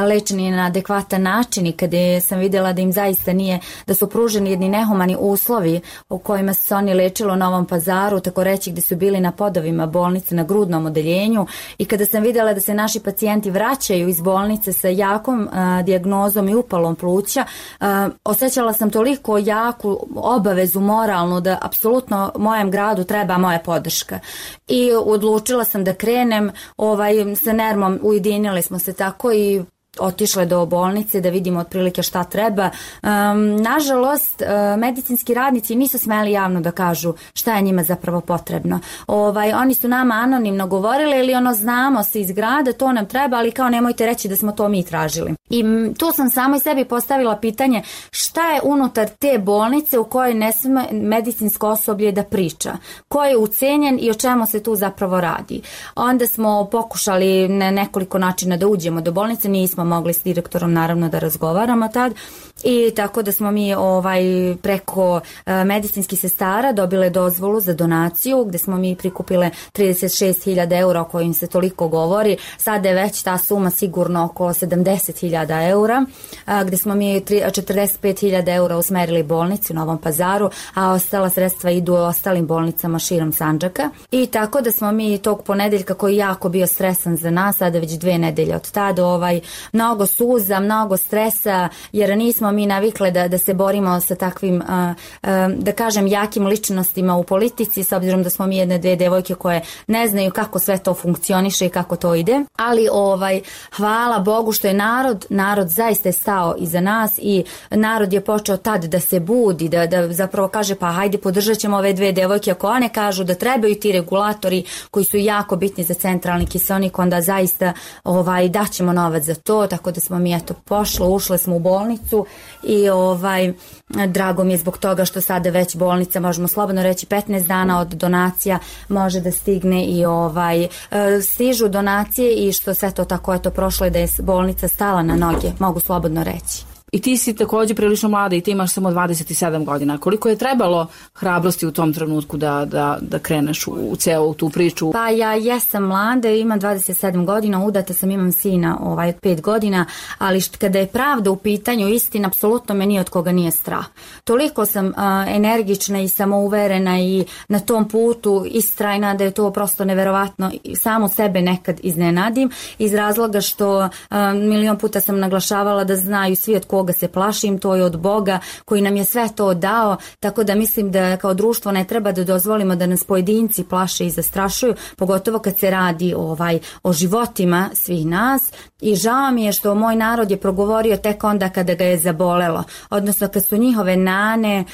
Q: lečeni na adekvatan način i kada sam vidjela da im zaista nije, da su pruženi jedni nehumani uslovi u kojima su se oni lečili u Novom Pazaru, tako reći gdje su bili na podovima bolnice na grudnom odeljenju, i kada sam vidjela da se naši pacijenti vraćaju iz bolnice sa jakom dijagnozom i upalom pluća, osjećala sam toliko jaku obavezu moralnu da apsolutno mojem gradu treba moja podrška. I odlučila sam da krenem, sa Nermom ujedinili smo se tako i otišle do bolnice da vidimo otprilike šta treba. Nažalost, medicinski radnici nisu smeli javno da kažu šta je njima zapravo potrebno. Oni su nama anonimno govorili ili znamo se iz grada, to nam treba, ali kao nemojte reći da smo to mi tražili. I tu sam samo sebi postavila pitanje šta je unutar te bolnice u kojoj ne sme medicinsko osoblje da priča, ko je ucenjen i o čemu se tu zapravo radi. Onda smo pokušali na nekoliko načina da uđemo do bolnice, nismo mogli s direktorom naravno da razgovaramo tad, i tako da smo mi preko medicinskih sestara dobile dozvolu za donaciju gdje smo mi prikupile 36.000 eura o kojim se toliko govori. Sada je već ta suma sigurno oko 70.000 eura, gdje smo mi 45.000 eura usmerili bolnici u Novom Pazaru, a ostala sredstva idu ostalim bolnicama širom Sandžaka. I tako da smo mi tog ponedeljka, koji je jako bio stresan za nas, sada već 2 nedelje od tada, mnogo suza, mnogo stresa, jer nismo mi navikle da se borimo sa takvim, da kažem, jakim ličnostima u politici, s obzirom da smo mi 1-2 devojke koje ne znaju kako sve to funkcioniše i kako to ide. Ali hvala Bogu što je narod zaista je stao iza nas i narod je počeo tad da se budi, da zapravo kaže pa hajde podržat ćemo ove 2 devojke, ako one kažu da trebaju ti regulatori koji su jako bitni za centralni kiseonik, onda zaista daćemo novac za to, tako da smo mi ušle smo u bolnicu i drago mi je zbog toga što sada već bolnica, možemo slobodno reći 15 dana od donacija može da stigne i stižu donacije i što sve to tako prošlo je da je bolnica stala na noge, mogu slobodno reći.
C: I ti si takođe prilično mlada i ti imaš samo 27 godina. Koliko je trebalo hrabrosti u tom trenutku da kreneš u celu tu priču?
H: Pa ja jesam mlada, imam 27 godina, udata sam, imam sina 5 godina, ali kada je pravda u pitanju, istina, apsolutno me nije od koga nije strah. Toliko sam energična i samouverena i na tom putu istrajna da je to prosto neverovatno. Samo sebe nekad iznenadim iz razloga što milion puta sam naglašavala da znaju svi od koga se plašim, to je od Boga koji nam je sve to dao, tako da mislim da kao društvo ne treba da dozvolimo da nas pojedinci plaše i zastrašuju, pogotovo kad se radi o životima svih nas. I žao mi je što moj narod je progovorio tek onda kada ga je zabolelo, odnosno kad su njihove nane,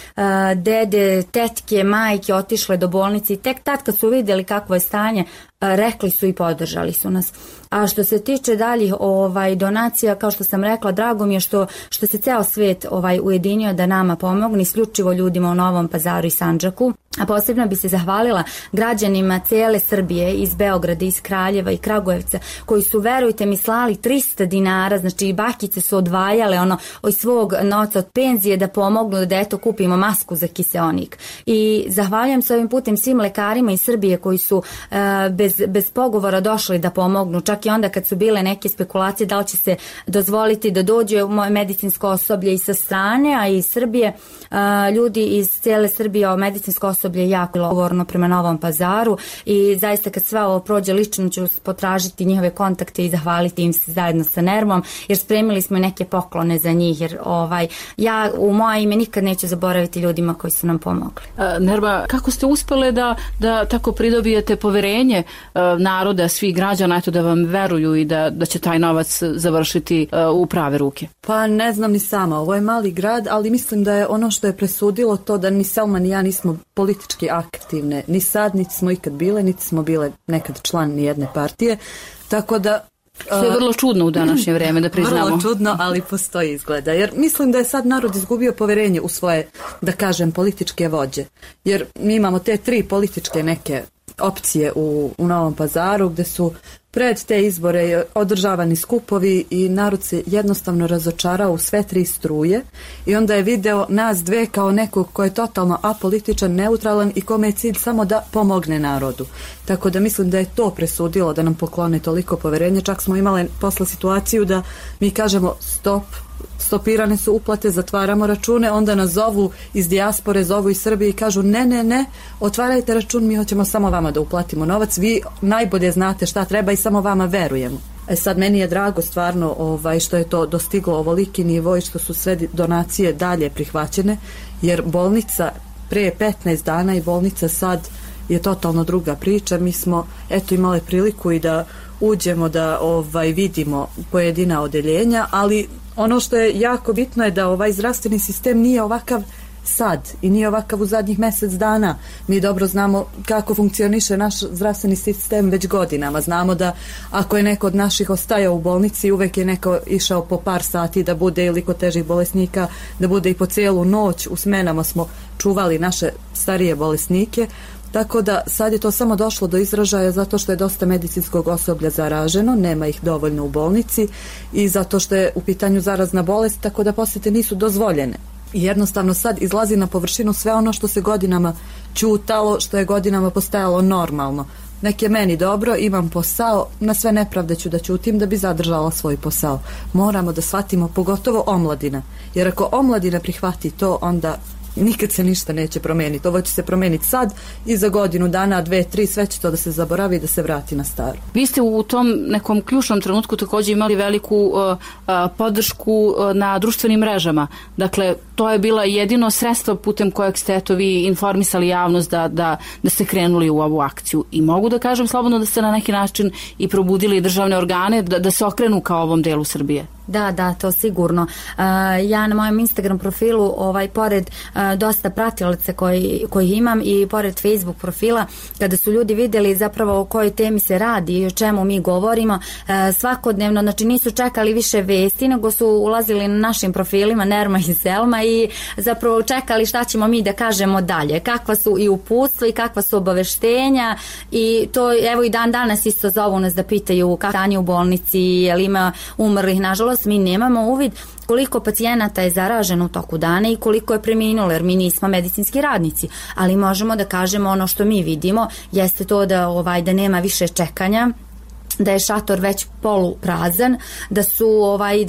H: dede, tetke, majke otišle do bolnice i tek tad kad su vidjeli kakvo je stanje, rekli su i podržali su nas. A što se tiče daljih donacija, kao što sam rekla, drago mi je što se ceo svijet ujedinio da nama pomogne, isključivo ljudima u Novom Pazaru i Sandžaku. A posebno bi se zahvalila građanima cijele Srbije, iz Beograda, iz Kraljeva i Kragujevca, koji su, verujte mi, slali 300 dinara, znači i bakice su odvajale od svog novca od penzije da pomognu da eto kupimo masku za kiseonik. I zahvaljujem se ovim putem svim lekarima iz Srbije koji su bez pogovora došli da pomognu, čak i onda kad su bile neke spekulacije da li će se dozvoliti da dođe moje medicinsko osoblje i sa strane, a i iz Srbije. Ljudi iz cijele Srbije, medicinsko osoblje jako odgovorno prema Novom Pazaru i zaista kad sve ovo prođe lično ću potražiti njihove kontakte i zahvaliti im se zajedno sa Nermom, jer spremili smo neke poklone za njih, jer ja u moje ime nikad neću zaboraviti ljudima koji su nam pomogli.
C: Nerma, kako ste uspele da tako pridobijete poverenje naroda, svih građana, eto da vam veruju i da će taj novac završiti u prave ruke?
X: Pa ne znam ni sama, ovo je mali grad, ali mislim da je ono što je presudilo to da ni Selma ni ja nismo politički aktivne, ni sad, niti smo ikad bile, niti smo bile nekad član ni jedne partije, tako da...
C: Što je vrlo čudno u današnje vrijeme, da priznamo.
X: Vrlo čudno, ali postoji izgleda, jer mislim da je sad narod izgubio poverenje u svoje, da kažem, političke vođe, jer mi imamo te 3 političke neke opcije u Novom Pazaru gdje su pred te izbore održavani skupovi i narod se jednostavno razočarao u sve 3 struje i onda je video nas dve kao nekog ko je totalno apolitičan, neutralan i kome je cilj samo da pomogne narodu. Tako da mislim da je to presudilo da nam poklone toliko poverenja. Čak smo imali posle situaciju da mi kažemo stopirane su uplate, zatvaramo račune, onda nas zovu iz dijaspore, zovu iz Srbije i kažu ne, otvarajte račun, mi hoćemo samo vama da uplatimo novac, vi najbolje znate šta treba i samo vama verujemo. Sad meni je drago stvarno što je to dostiglo ovoliki nivo i što su sve donacije dalje prihvaćene, jer bolnica pre 15 dana i bolnica sad je totalno druga priča. Mi smo imali priliku i da uđemo da vidimo pojedina odeljenja, ali ono što je jako bitno je da ovaj zdravstveni sistem nije ovakav sad i nije ovakav u zadnjih mjesec dana. Mi dobro znamo kako funkcioniše naš zdravstveni sistem već godinama. Znamo da ako je neko od naših ostajao u bolnici, uvek je neko išao po par sati da bude, ili kod težih bolesnika da bude i po cijelu noć. U smenama smo čuvali naše starije bolesnike. Tako da sad je to samo došlo do izražaja zato što je dosta medicinskog osoblja zaraženo, nema ih dovoljno u bolnici i zato što je u pitanju zarazna bolest, tako da posete nisu dozvoljene. I jednostavno sad izlazi na površinu sve ono što se godinama ćutalo, što je godinama postajalo normalno. Nek je meni dobro, imam posao, na sve nepravde ću da ćutim da bi zadržala svoj posao. Moramo da shvatimo, pogotovo omladina, jer ako omladina prihvati to, onda nikad se ništa neće promijeniti. Ovo će se promijeniti sad i za godinu dana, 2, 3, sve će to da se zaboravi i da se vrati na staro.
C: Vi ste u tom nekom ključnom trenutku također imali veliku podršku na društvenim mrežama. Dakle, to je bila jedino sredstvo putem kojeg ste vi informisali javnost da ste krenuli u ovu akciju. I mogu da kažem slobodno da ste na neki način i probudili državne organe da se okrenu ka ovom delu Srbije.
H: Da, to sigurno. Ja na mojem Instagram profilu, pored dosta pratilaca koji imam i pored Facebook profila, kada su ljudi vidjeli zapravo o kojoj temi se radi i o čemu mi govorimo, svakodnevno, znači nisu čekali više vesti, nego su ulazili na našim profilima Nerma i Selma i zapravo čekali šta ćemo mi da kažemo dalje, kakva su i uputstva i kakva su obaveštenja i to, evo i dan danas isto zovu nas da pitaju kako stanje u bolnici, jel ima umrlih. Nažalost, nažalost mi nemamo uvid koliko pacijenata je zaraženo u toku dana i koliko je preminulo, jer mi nismo medicinski radnici, ali možemo da kažemo ono što mi vidimo jeste to da nema više čekanja, da je šator već poluprazan, da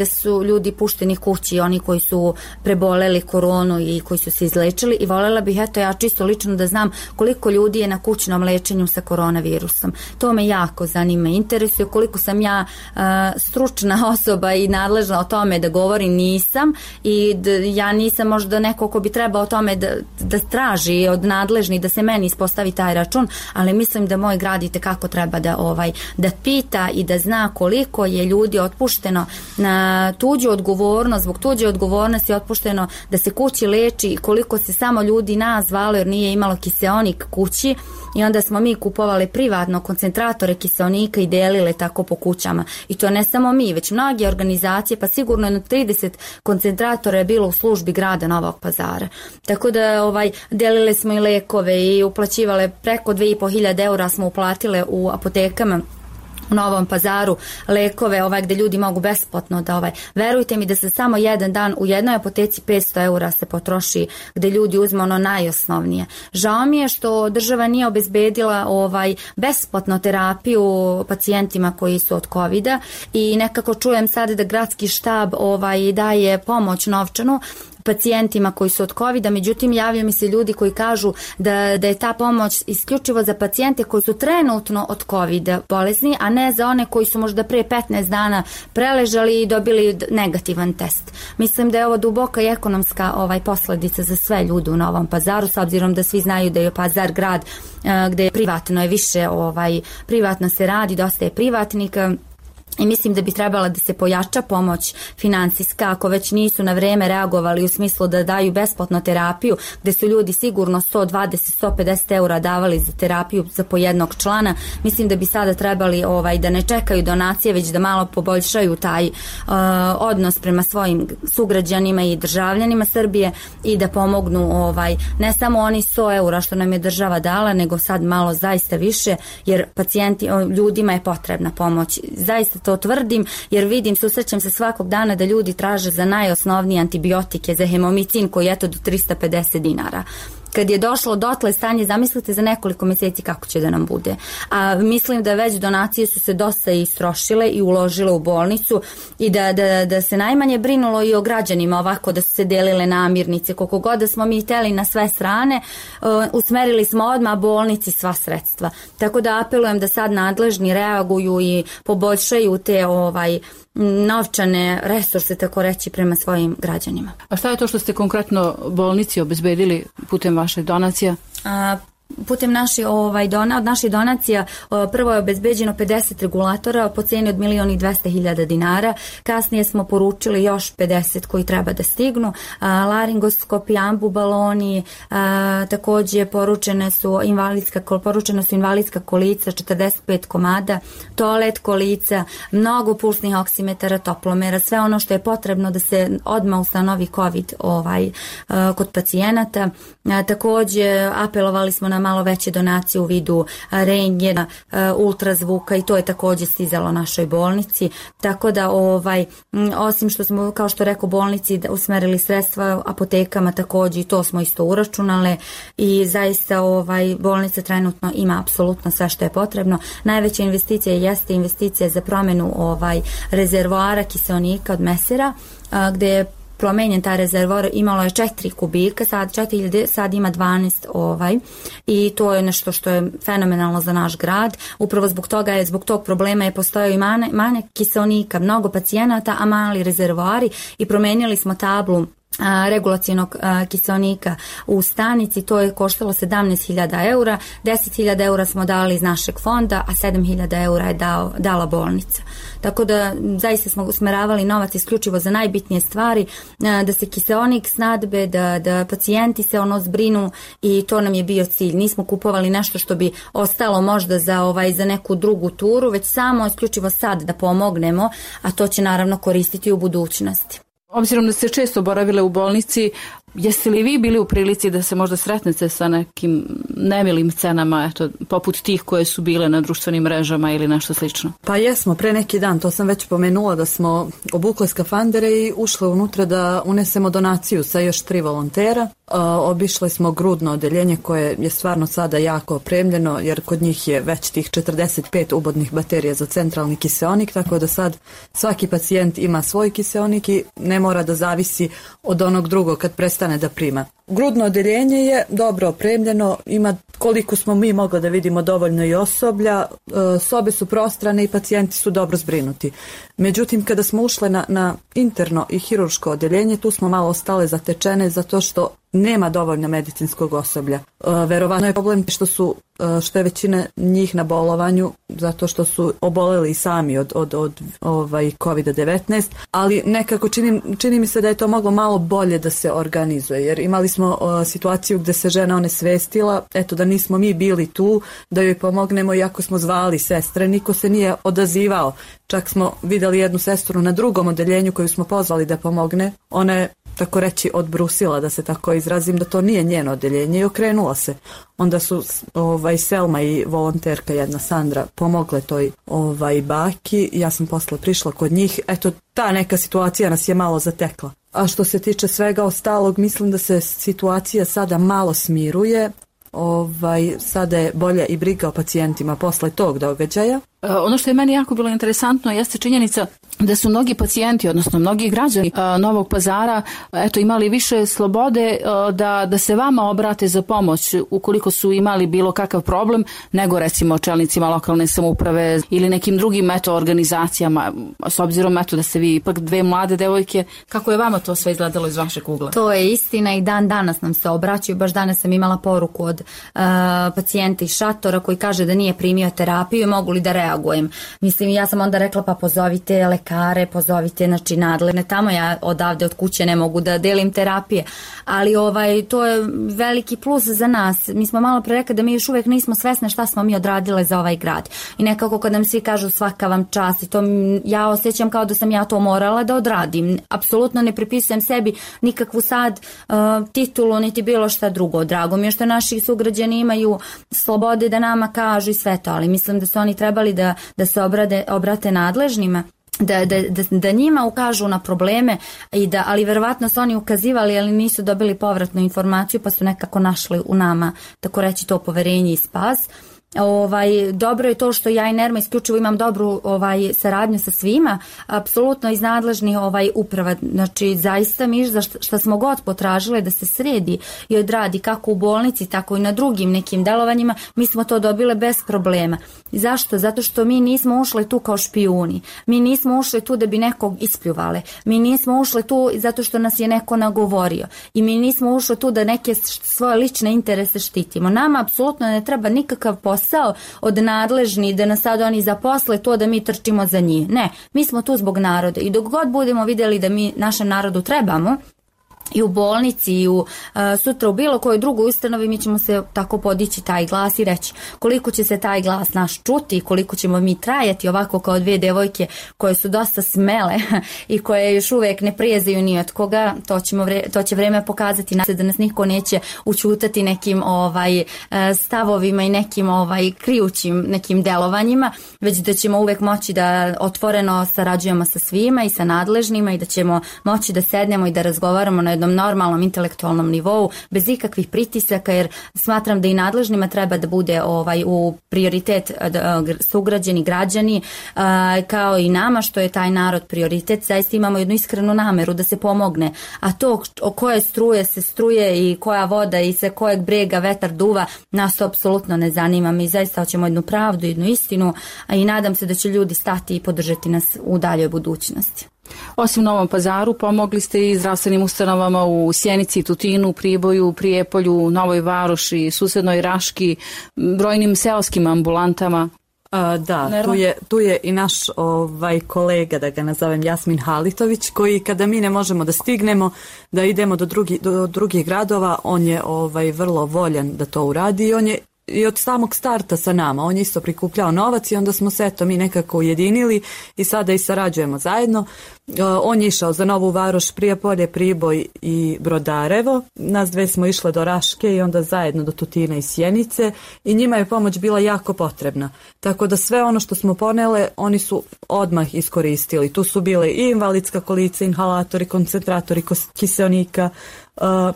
H: su ljudi pušteni kući, oni koji su preboleli koronu i koji su se izlečili, i voljela bih ja čisto lično da znam koliko ljudi je na kućnom lečenju sa koronavirusom. To me jako zanima, interesuje. Koliko sam ja stručna osoba i nadležna o tome da govorim, nisam, i ja nisam možda neko ko bi trebao o tome da traži od nadležnih da se meni ispostavi taj račun, ali mislim da moj grad i tekako treba da pita i da zna koliko je ljudi otpušteno na tuđu odgovornost, zbog tuđe odgovornosti je otpušteno da se kući leči, i koliko se samo ljudi nas zvalo jer nije imalo kiseonik kući, i onda smo mi kupovali privatno koncentratore kiseonika i delile tako po kućama. I to ne samo mi, već mnoge organizacije, pa sigurno jedno 30 koncentratora je bilo u službi grada Novog Pazara. Tako da delile smo i lekove i uplaćivale preko 2.500 eura smo uplatile u apotekama u Novom Pazaru lekove gde ljudi mogu besplatno da verujte mi da se samo jedan dan u jednoj apoteci 500 eura se potroši, gde ljudi uzme ono najosnovnije. Žao mi je što država nije obezbedila besplatno terapiju pacijentima koji su od covida, i nekako čujem sad da gradski štab daje pomoć novčanu pacijentima koji su od covida, međutim javljaju mi se ljudi koji kažu da je ta pomoć isključivo za pacijente koji su trenutno od covida bolesni, a ne za one koji su možda pre 15 dana preležali i dobili negativan test. Mislim da je ovo duboka i ekonomska posledica za sve ljude u Novom Pazaru, s obzirom da svi znaju da je Pazar grad gde je privatno je više, privatno se radi, dosta je privatnika. I mislim da bi trebala da se pojača pomoć finansijska, ako već nisu na vreme reagovali u smislu da daju besplatno terapiju, gde su ljudi sigurno 120-150 eura davali za terapiju za po jednog člana. Mislim da bi sada trebali da ne čekaju donacije, već da malo poboljšaju taj odnos prema svojim sugrađanima i državljanima Srbije, i da pomognu ne samo oni 100 eura što nam je država dala, nego sad malo zaista više, jer ljudima je potrebna pomoć. Zaista to tvrdim, jer vidim, susrećem se svakog dana da ljudi traže za najosnovnije antibiotike, za hemomicin koji je do 350 dinara. Kad je došlo dotle stanje, zamislite za nekoliko mjeseci kako će da nam bude. A mislim da već donacije su se dosta istrošile i uložile u bolnicu, i da se najmanje brinulo i o građanima, ovako da su se delile namirnice. Koliko god da smo mi hteli na sve strane, usmerili smo odmah bolnici sva sredstva. Tako da apelujem da sad nadležni reaguju i poboljšaju te novčane resurse, tako reći, prema svojim građanima.
C: A šta je to što ste konkretno bolnici obezbedili putem vaših donacija?
H: Putem od naših donacija prvo je obezbeđeno 50 regulatora po cijeni od 1.200.000 dinara. Kasnije smo poručili još 50 koji treba da stignu. Laringoskopi, ambubaloni, također poručena su invalidska kolica 45 komada, toalet kolica, mnogo pulsnih oksimetara, toplomera, sve ono što je potrebno da se odmah ustanovi COVID kod pacijenata. Također apelovali smo na malo veće donacije u vidu rentgena, ultrazvuka, i to je također stizalo našoj bolnici. Tako da osim što smo, kao što rekao, bolnici usmerili sredstva, apotekama također, i to smo isto uračunale, i zaista bolnica trenutno ima apsolutno sve što je potrebno. Najveća investicija jeste investicija za promjenu rezervoara kiseonika od mesera, gde je promenjen taj rezervoar, imalo je 4 kubika, sad ima 12 i to je nešto što je fenomenalno za naš grad. Upravo zbog tog problema je postojao i manjak kiseonika, mnogo pacijenata, a mali rezervoari, i promenili smo tablu regulacionog kiseonika u stanici. To je koštalo 17.000 eura, 10.000 eura smo dali iz našeg fonda, a 7.000 eura je dala bolnica. Tako da zaista smo usmeravali novac isključivo za najbitnije stvari, da se kiseonik snadbe, da pacijenti se zbrinu, i to nam je bio cilj. Nismo kupovali nešto što bi ostalo možda za neku drugu turu, već samo isključivo sad da pomognemo, a to će naravno koristiti u budućnosti.
C: Obzirom da ste često boravile u bolnici, Jeste li vi bili u prilici da se možda sretnete sa nekim nemilim cenama, eto, poput tih koje su bile na društvenim mrežama ili nešto slično?
X: Pa jesmo, pre neki dan, to sam već pomenula, da smo obukle skafandere i ušle unutra da unesemo donaciju sa još 3 volontera. Obišle smo grudno odeljenje koje je stvarno sada jako opremljeno, jer kod njih je već tih 45 ubodnih baterija za centralni kiseonik, tako da sad svaki pacijent ima svoj kiseonik i ne mora da zavisi od onog drugog kad prestane da prima. Grudno odeljenje je dobro opremljeno, ima koliko smo mi mogli da vidimo dovoljno i osoblja, sobe su prostrane i pacijenti su dobro zbrinuti. Međutim, kada smo ušle na interno i hirurško odeljenje, tu smo malo ostale zatečene zato što nema dovoljno medicinskog osoblja. Verovatno je problem što je većina njih na bolovanju zato što su oboleli sami od COVID-19, ali nekako čini mi se da je to moglo malo bolje da se organizuje, jer imali smo situaciju gde se žena onesvestila, eto da nismo mi bili tu da joj pomognemo, iako smo zvali sestre, niko se nije odazivao. Čak smo videli jednu sestru na drugom odeljenju koju smo pozvali da pomogne. Ona je, tako reći, odbrusila, da se tako izrazim, da to nije njeno odeljenje i okrenula se. Onda su Selma i volonterka jedna Sandra pomogle toj baki. Ja sam posle prišla kod njih. Eto, ta neka situacija nas je malo zatekla. A što se tiče svega ostalog, mislim da se situacija sada malo smiruje. Sada je bolja i briga o pacijentima posle tog događaja.
C: Ono što je meni jako bilo interesantno jeste činjenica da su mnogi pacijenti, odnosno mnogi građani Novog Pazara imali više slobode da se vama obrate za pomoć ukoliko su imali bilo kakav problem, nego recimo čelnicima lokalne samouprave ili nekim drugim organizacijama, s obzirom da ste vi ipak 2 mlade devojke. Kako je vama to sve izgledalo iz vašeg ugla?
H: To je istina i dan danas nam se obraćaju. Baš danas sam imala poruku od pacijenta iz šatora koji kaže da nije primio terapiju i mogu li da reagujem. Mislim, ja sam onda rekla pa pozovite lekare, pozovite nadležne tamo, ja odavde od kuće ne mogu da delim terapije, ali to je veliki plus za nas. Mi smo malo pre rekli da mi još uvijek nismo svesne šta smo mi odradile za ovaj grad i nekako kad nam svi kažu svaka vam čast i to ja osjećam kao da sam ja to morala da odradim. Apsolutno ne pripisujem sebi nikakvu sad titulu niti bilo šta drugo. Drago mi je što naši sugrađani imaju slobode da nama kažu i sve to, ali mislim da su oni trebali da se obrate nadležnima, da njima ukažu na probleme, ali verovatno su oni ukazivali, ali nisu dobili povratnu informaciju pa su nekako našli u nama, tako reći, to poverenje i spas. Dobro je to što ja i Nerma isključivo imam dobru saradnju sa svima, apsolutno iz nadležnih uprava. Znači zaista mi za što smo god potražile da se sredi i odradi kako u bolnici tako i na drugim nekim delovanjima, mi smo to dobile bez problema. Zašto? Zato što mi nismo ušli tu kao špijuni, mi nismo ušli tu da bi nekog ispljuvale, mi nismo ušli tu zato što nas je neko nagovorio i mi nismo ušli tu da neke svoje lične interese štitimo. Nama apsolutno ne treba nikakav posao od nadležni da nas sad oni zaposle to da mi trčimo za njih. Ne, mi smo tu zbog naroda i dok god budemo vidjeli da mi našem narodu trebamo, i u bolnici i sutra u bilo kojoj drugoj ustanovi, mi ćemo se tako podići taj glas i reći koliko će se taj glas naš čuti, koliko ćemo mi trajati ovako kao 2 devojke koje su dosta smele i koje još uvijek ne prijezaju ni od koga. To će vreme pokazati da nas niko neće učutati nekim stavovima i nekim krijućim nekim delovanjima, već da ćemo uvijek moći da otvoreno sarađujemo sa svima i sa nadležnima i da ćemo moći da sednemo i da razgovaramo na jednom normalnom intelektualnom nivou bez ikakvih pritisaka, jer smatram da i nadležnima treba da bude u prioritet sugrađeni građani, kao i nama što je taj narod prioritet. Zaista imamo jednu iskrenu nameru da se pomogne, a to o koje struje se struje i koja voda i sa kojeg brega vetar duva, nas to apsolutno ne zanima. Mi zaista hoćemo jednu pravdu, jednu istinu, a i nadam se da će ljudi stati i podržati nas u daljoj budućnosti.
C: Osim Novom Pazaru, pomogli ste i zdravstvenim ustanovama u Sjenici, Tutinu, Priboju, Prijepolju, Novoj Varoši, susednoj Raški, brojnim seoskim ambulantama.
X: Da, tu je i naš kolega, da ga nazovem, Jasmin Halitović, koji kada mi ne možemo da stignemo da idemo do drugih gradova, on je vrlo voljan da to uradi i on je i od samog starta sa nama. On je isto prikupljao novac i onda smo se mi nekako ujedinili i sada i sarađujemo zajedno. On je išao za Novu Varoš, Prijepolje, Priboj i Brodarevo. Nas dve smo išle do Raške i onda zajedno do Tutina i Sjenice i njima je pomoć bila jako potrebna. Tako da sve ono što smo ponele, oni su odmah iskoristili. Tu su bile i invalidska kolica, inhalatori, koncentratori kiseonika,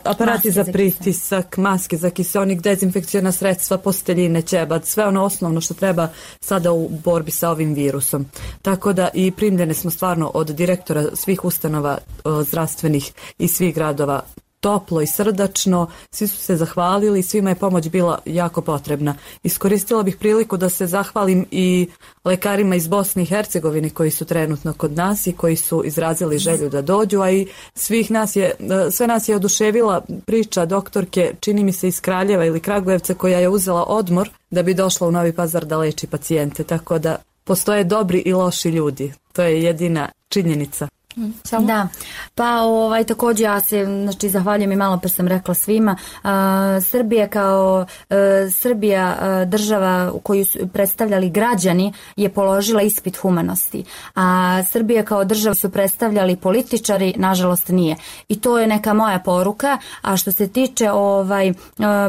X: aparati za pritisak, maske za kiseonik, dezinfekcijona sredstva, posteljine, ćebad, sve ono osnovno što treba sada u borbi sa ovim virusom. Tako da i primljene smo stvarno od direktora svih ustanova zdravstvenih i svih gradova toplo i srdačno, svi su se zahvalili, svima je pomoć bila jako potrebna. Iskoristila bih priliku da se zahvalim i lekarima iz Bosne i Hercegovine koji su trenutno kod nas i koji su izrazili želju da dođu, a i sve nas je oduševila priča doktorke, čini mi se iz Kraljeva ili Kragujevca, koja je uzela odmor da bi došla u Novi Pazar da leči pacijente, tako da postoje dobri i loši ljudi. To je jedina činjenica.
H: Samo? Da, pa također ja se zahvaljujem i malo pre sam rekla svima. Srbija kao Srbija država u koju su predstavljali građani je položila ispit humanosti, a Srbija kao država su predstavljali političari, nažalost nije, i to je neka moja poruka. A što se tiče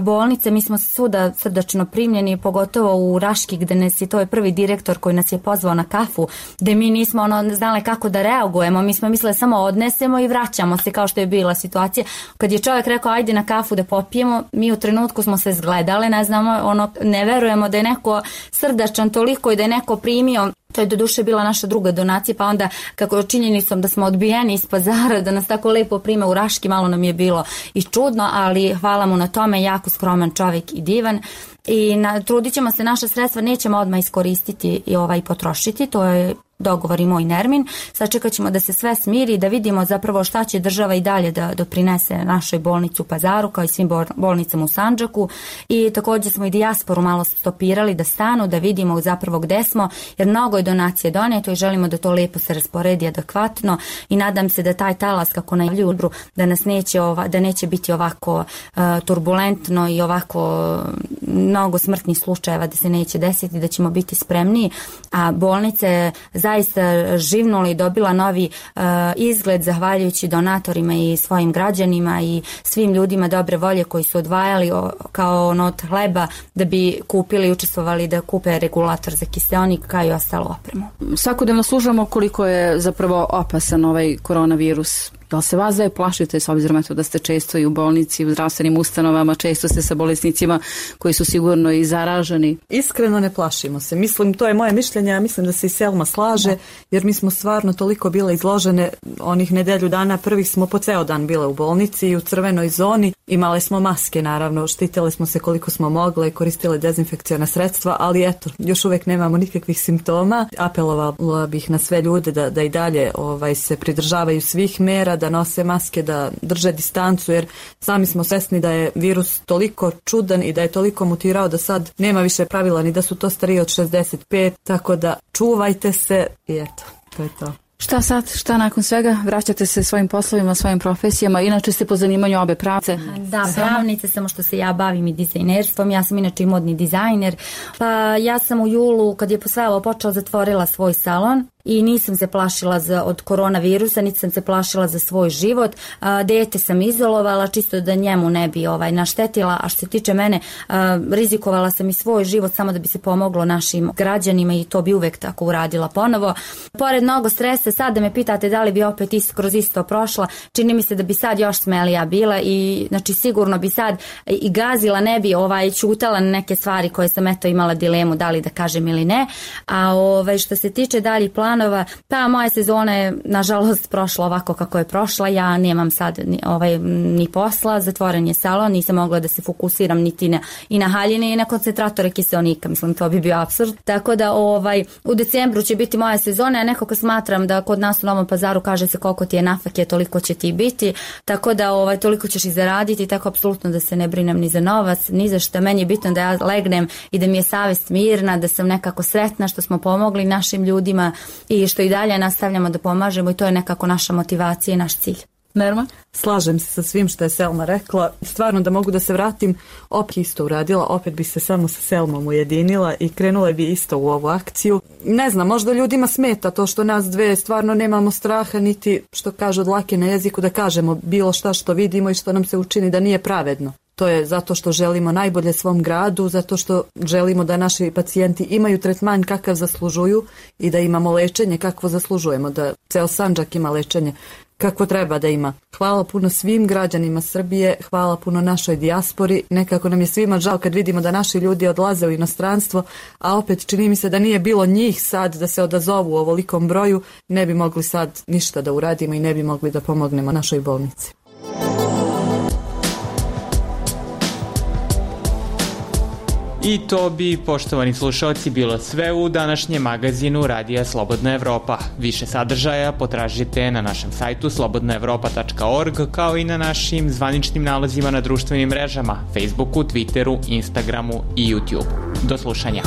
H: bolnice, mi smo svuda srdačno primljeni, pogotovo u Raški gde nas je, to je prvi direktor koji nas je pozvao na kafu, gde mi nismo znali kako da reagujemo. Mi smo mislili samo odnesemo i vraćamo se, kao što je bila situacija. Kad je čovjek rekao ajde na kafu da popijemo, mi u trenutku smo se zgledale, ne znamo, ne verujemo da je neko srdačan toliko i da je neko primio. To je doduše bila naša druga donacija, pa onda kako činjenicom da smo odbijeni iz Pazara, da nas tako lepo prime u Raški, malo nam je bilo i čudno, ali hvala mu na tome, jako skroman čovjek i divan. I trudit ćemo se, naša sredstva nećemo odmah iskoristiti i potrošiti, to je dogovor i moj Nermin. Sačekat ćemo da se sve smiri, da vidimo zapravo šta će država i dalje da doprinese našoj bolnici u Pazaru, kao i svim bolnicama u Sandžaku. I također smo i dijasporu malo stopirali da stanu, da vidimo zapravo gde smo, jer mnogo je donacije doneto i želimo da to lepo se rasporedi adekvatno i nadam se da taj talas, kako najavljuju, da nas neće biti ovako turbulentno i ovako mnogo smrtnih slučajeva, da se neće desiti, da ćemo biti spremniji, a bolnica je zaista živnula i dobila novi izgled zahvaljujući donatorima i svojim građanima i svim ljudima dobre volje koji su odvajali kao od hleba da bi kupili i učestvovali da kupe regulator za kiseonik kao i ostalo opremu.
C: Svakodnevno slušamo koliko je zapravo opasan ovaj koronavirus. Da li se vas da plašite, s obzirom da ste često i u bolnici, u zdravstvenim ustanovama, često ste sa bolesnicima koji su sigurno i zaraženi?
X: Iskreno ne plašimo se. Mislim, to je moje mišljenje, ja mislim da se i Selma slaže, jer mi smo stvarno toliko bile izložene, onih nedelju dana prvih smo po ceo dan bile u bolnici i u crvenoj zoni. Imale smo maske, naravno, štitile smo se koliko smo mogle, koristile dezinfekcijona sredstva, ali eto, još uvek nemamo nikakvih simptoma. Apelovala bih na sve ljude da i dalje se pridržavaju svih mera, da nose maske, da drže distancu, jer sami smo svesni da je virus toliko čudan i da je toliko mutirao da sad nema više pravila ni da su to stariji od 65, tako da čuvajte se i eto, to je to.
C: Šta sad, šta nakon svega? Vraćate se svojim poslovima, svojim profesijama, inače ste po zanimanju obe pravnice?
H: Da, pravnice, samo što se ja bavim i dizajnerstvom, ja sam inače i modni dizajner, pa ja sam u julu, kad je sve ovo počelo, zatvorila svoj salon i nisam se plašila od koronavirusa, niti sam se plašila za svoj život. Dete sam izolovala čisto da njemu ne bi naštetila, a što se tiče mene, rizikovala sam i svoj život samo da bi se pomoglo našim građanima i to bi uvek tako uradila ponovo. Pored mnogo stresa, sad da me pitate da li bi opet kroz isto prošla, čini mi se da bi sad još smelija bila i znači sigurno bi sad i gazila, ne bi ćutala na neke stvari koje sam imala dilemu da li da kažem ili ne. A što se tiče dalje planova, pa moja sezona je nažalost prošla ovako kako je prošla, ja nemam sad ni posla, zatvoren je salon, nisam mogla da se fokusiram niti i na haljine i na koncentratore kiseonika, mislim to bi bio apsurd, tako da u decembru će biti moja sezona, a nekako smatram da kod nas u Novom Pazaru kaže se koliko ti je nafake, toliko će ti biti, tako da toliko ćeš i zaraditi, tako apsolutno da se ne brinem ni za novac, ni za šta, meni je bitno da ja legnem i da mi je savest mirna, da sam nekako sretna što smo pomogli našim ljudima i što i dalje nastavljamo da pomažemo i to je nekako naša motivacija i naš cilj.
C: Nerma?
X: Slažem se sa svim što je Selma rekla. Stvarno da mogu da se vratim, opet isto uradila, opet bi se samo sa Selmom ujedinila i krenula bi isto u ovu akciju. Ne znam, možda ljudima smeta to što nas dve stvarno nemamo straha, niti što kažu od dlake na jeziku da kažemo bilo šta što vidimo i što nam se učini da nije pravedno. To je zato što želimo najbolje svom gradu, zato što želimo da naši pacijenti imaju tretman kakav zaslužuju i da imamo lečenje kakvo zaslužujemo, da ceo Sandžak ima lečenje kako treba da ima. Hvala puno svim građanima Srbije, hvala puno našoj dijaspori. Nekako nam je svima žao kad vidimo da naši ljudi odlaze u inostranstvo, a opet čini mi se da nije bilo njih sad da se odazovu u ovolikom broju, ne bi mogli sad ništa da uradimo i ne bi mogli da pomognemo našoj bolnici.
V: I to bi, poštovani slušalci, bilo sve u današnjem magazinu Radija Slobodna Evropa. Više sadržaja potražite na našem sajtu slobodnaevropa.org, kao i na našim zvaničnim nalazima na društvenim mrežama, Facebooku, Twitteru, Instagramu i YouTube. Do slušanja.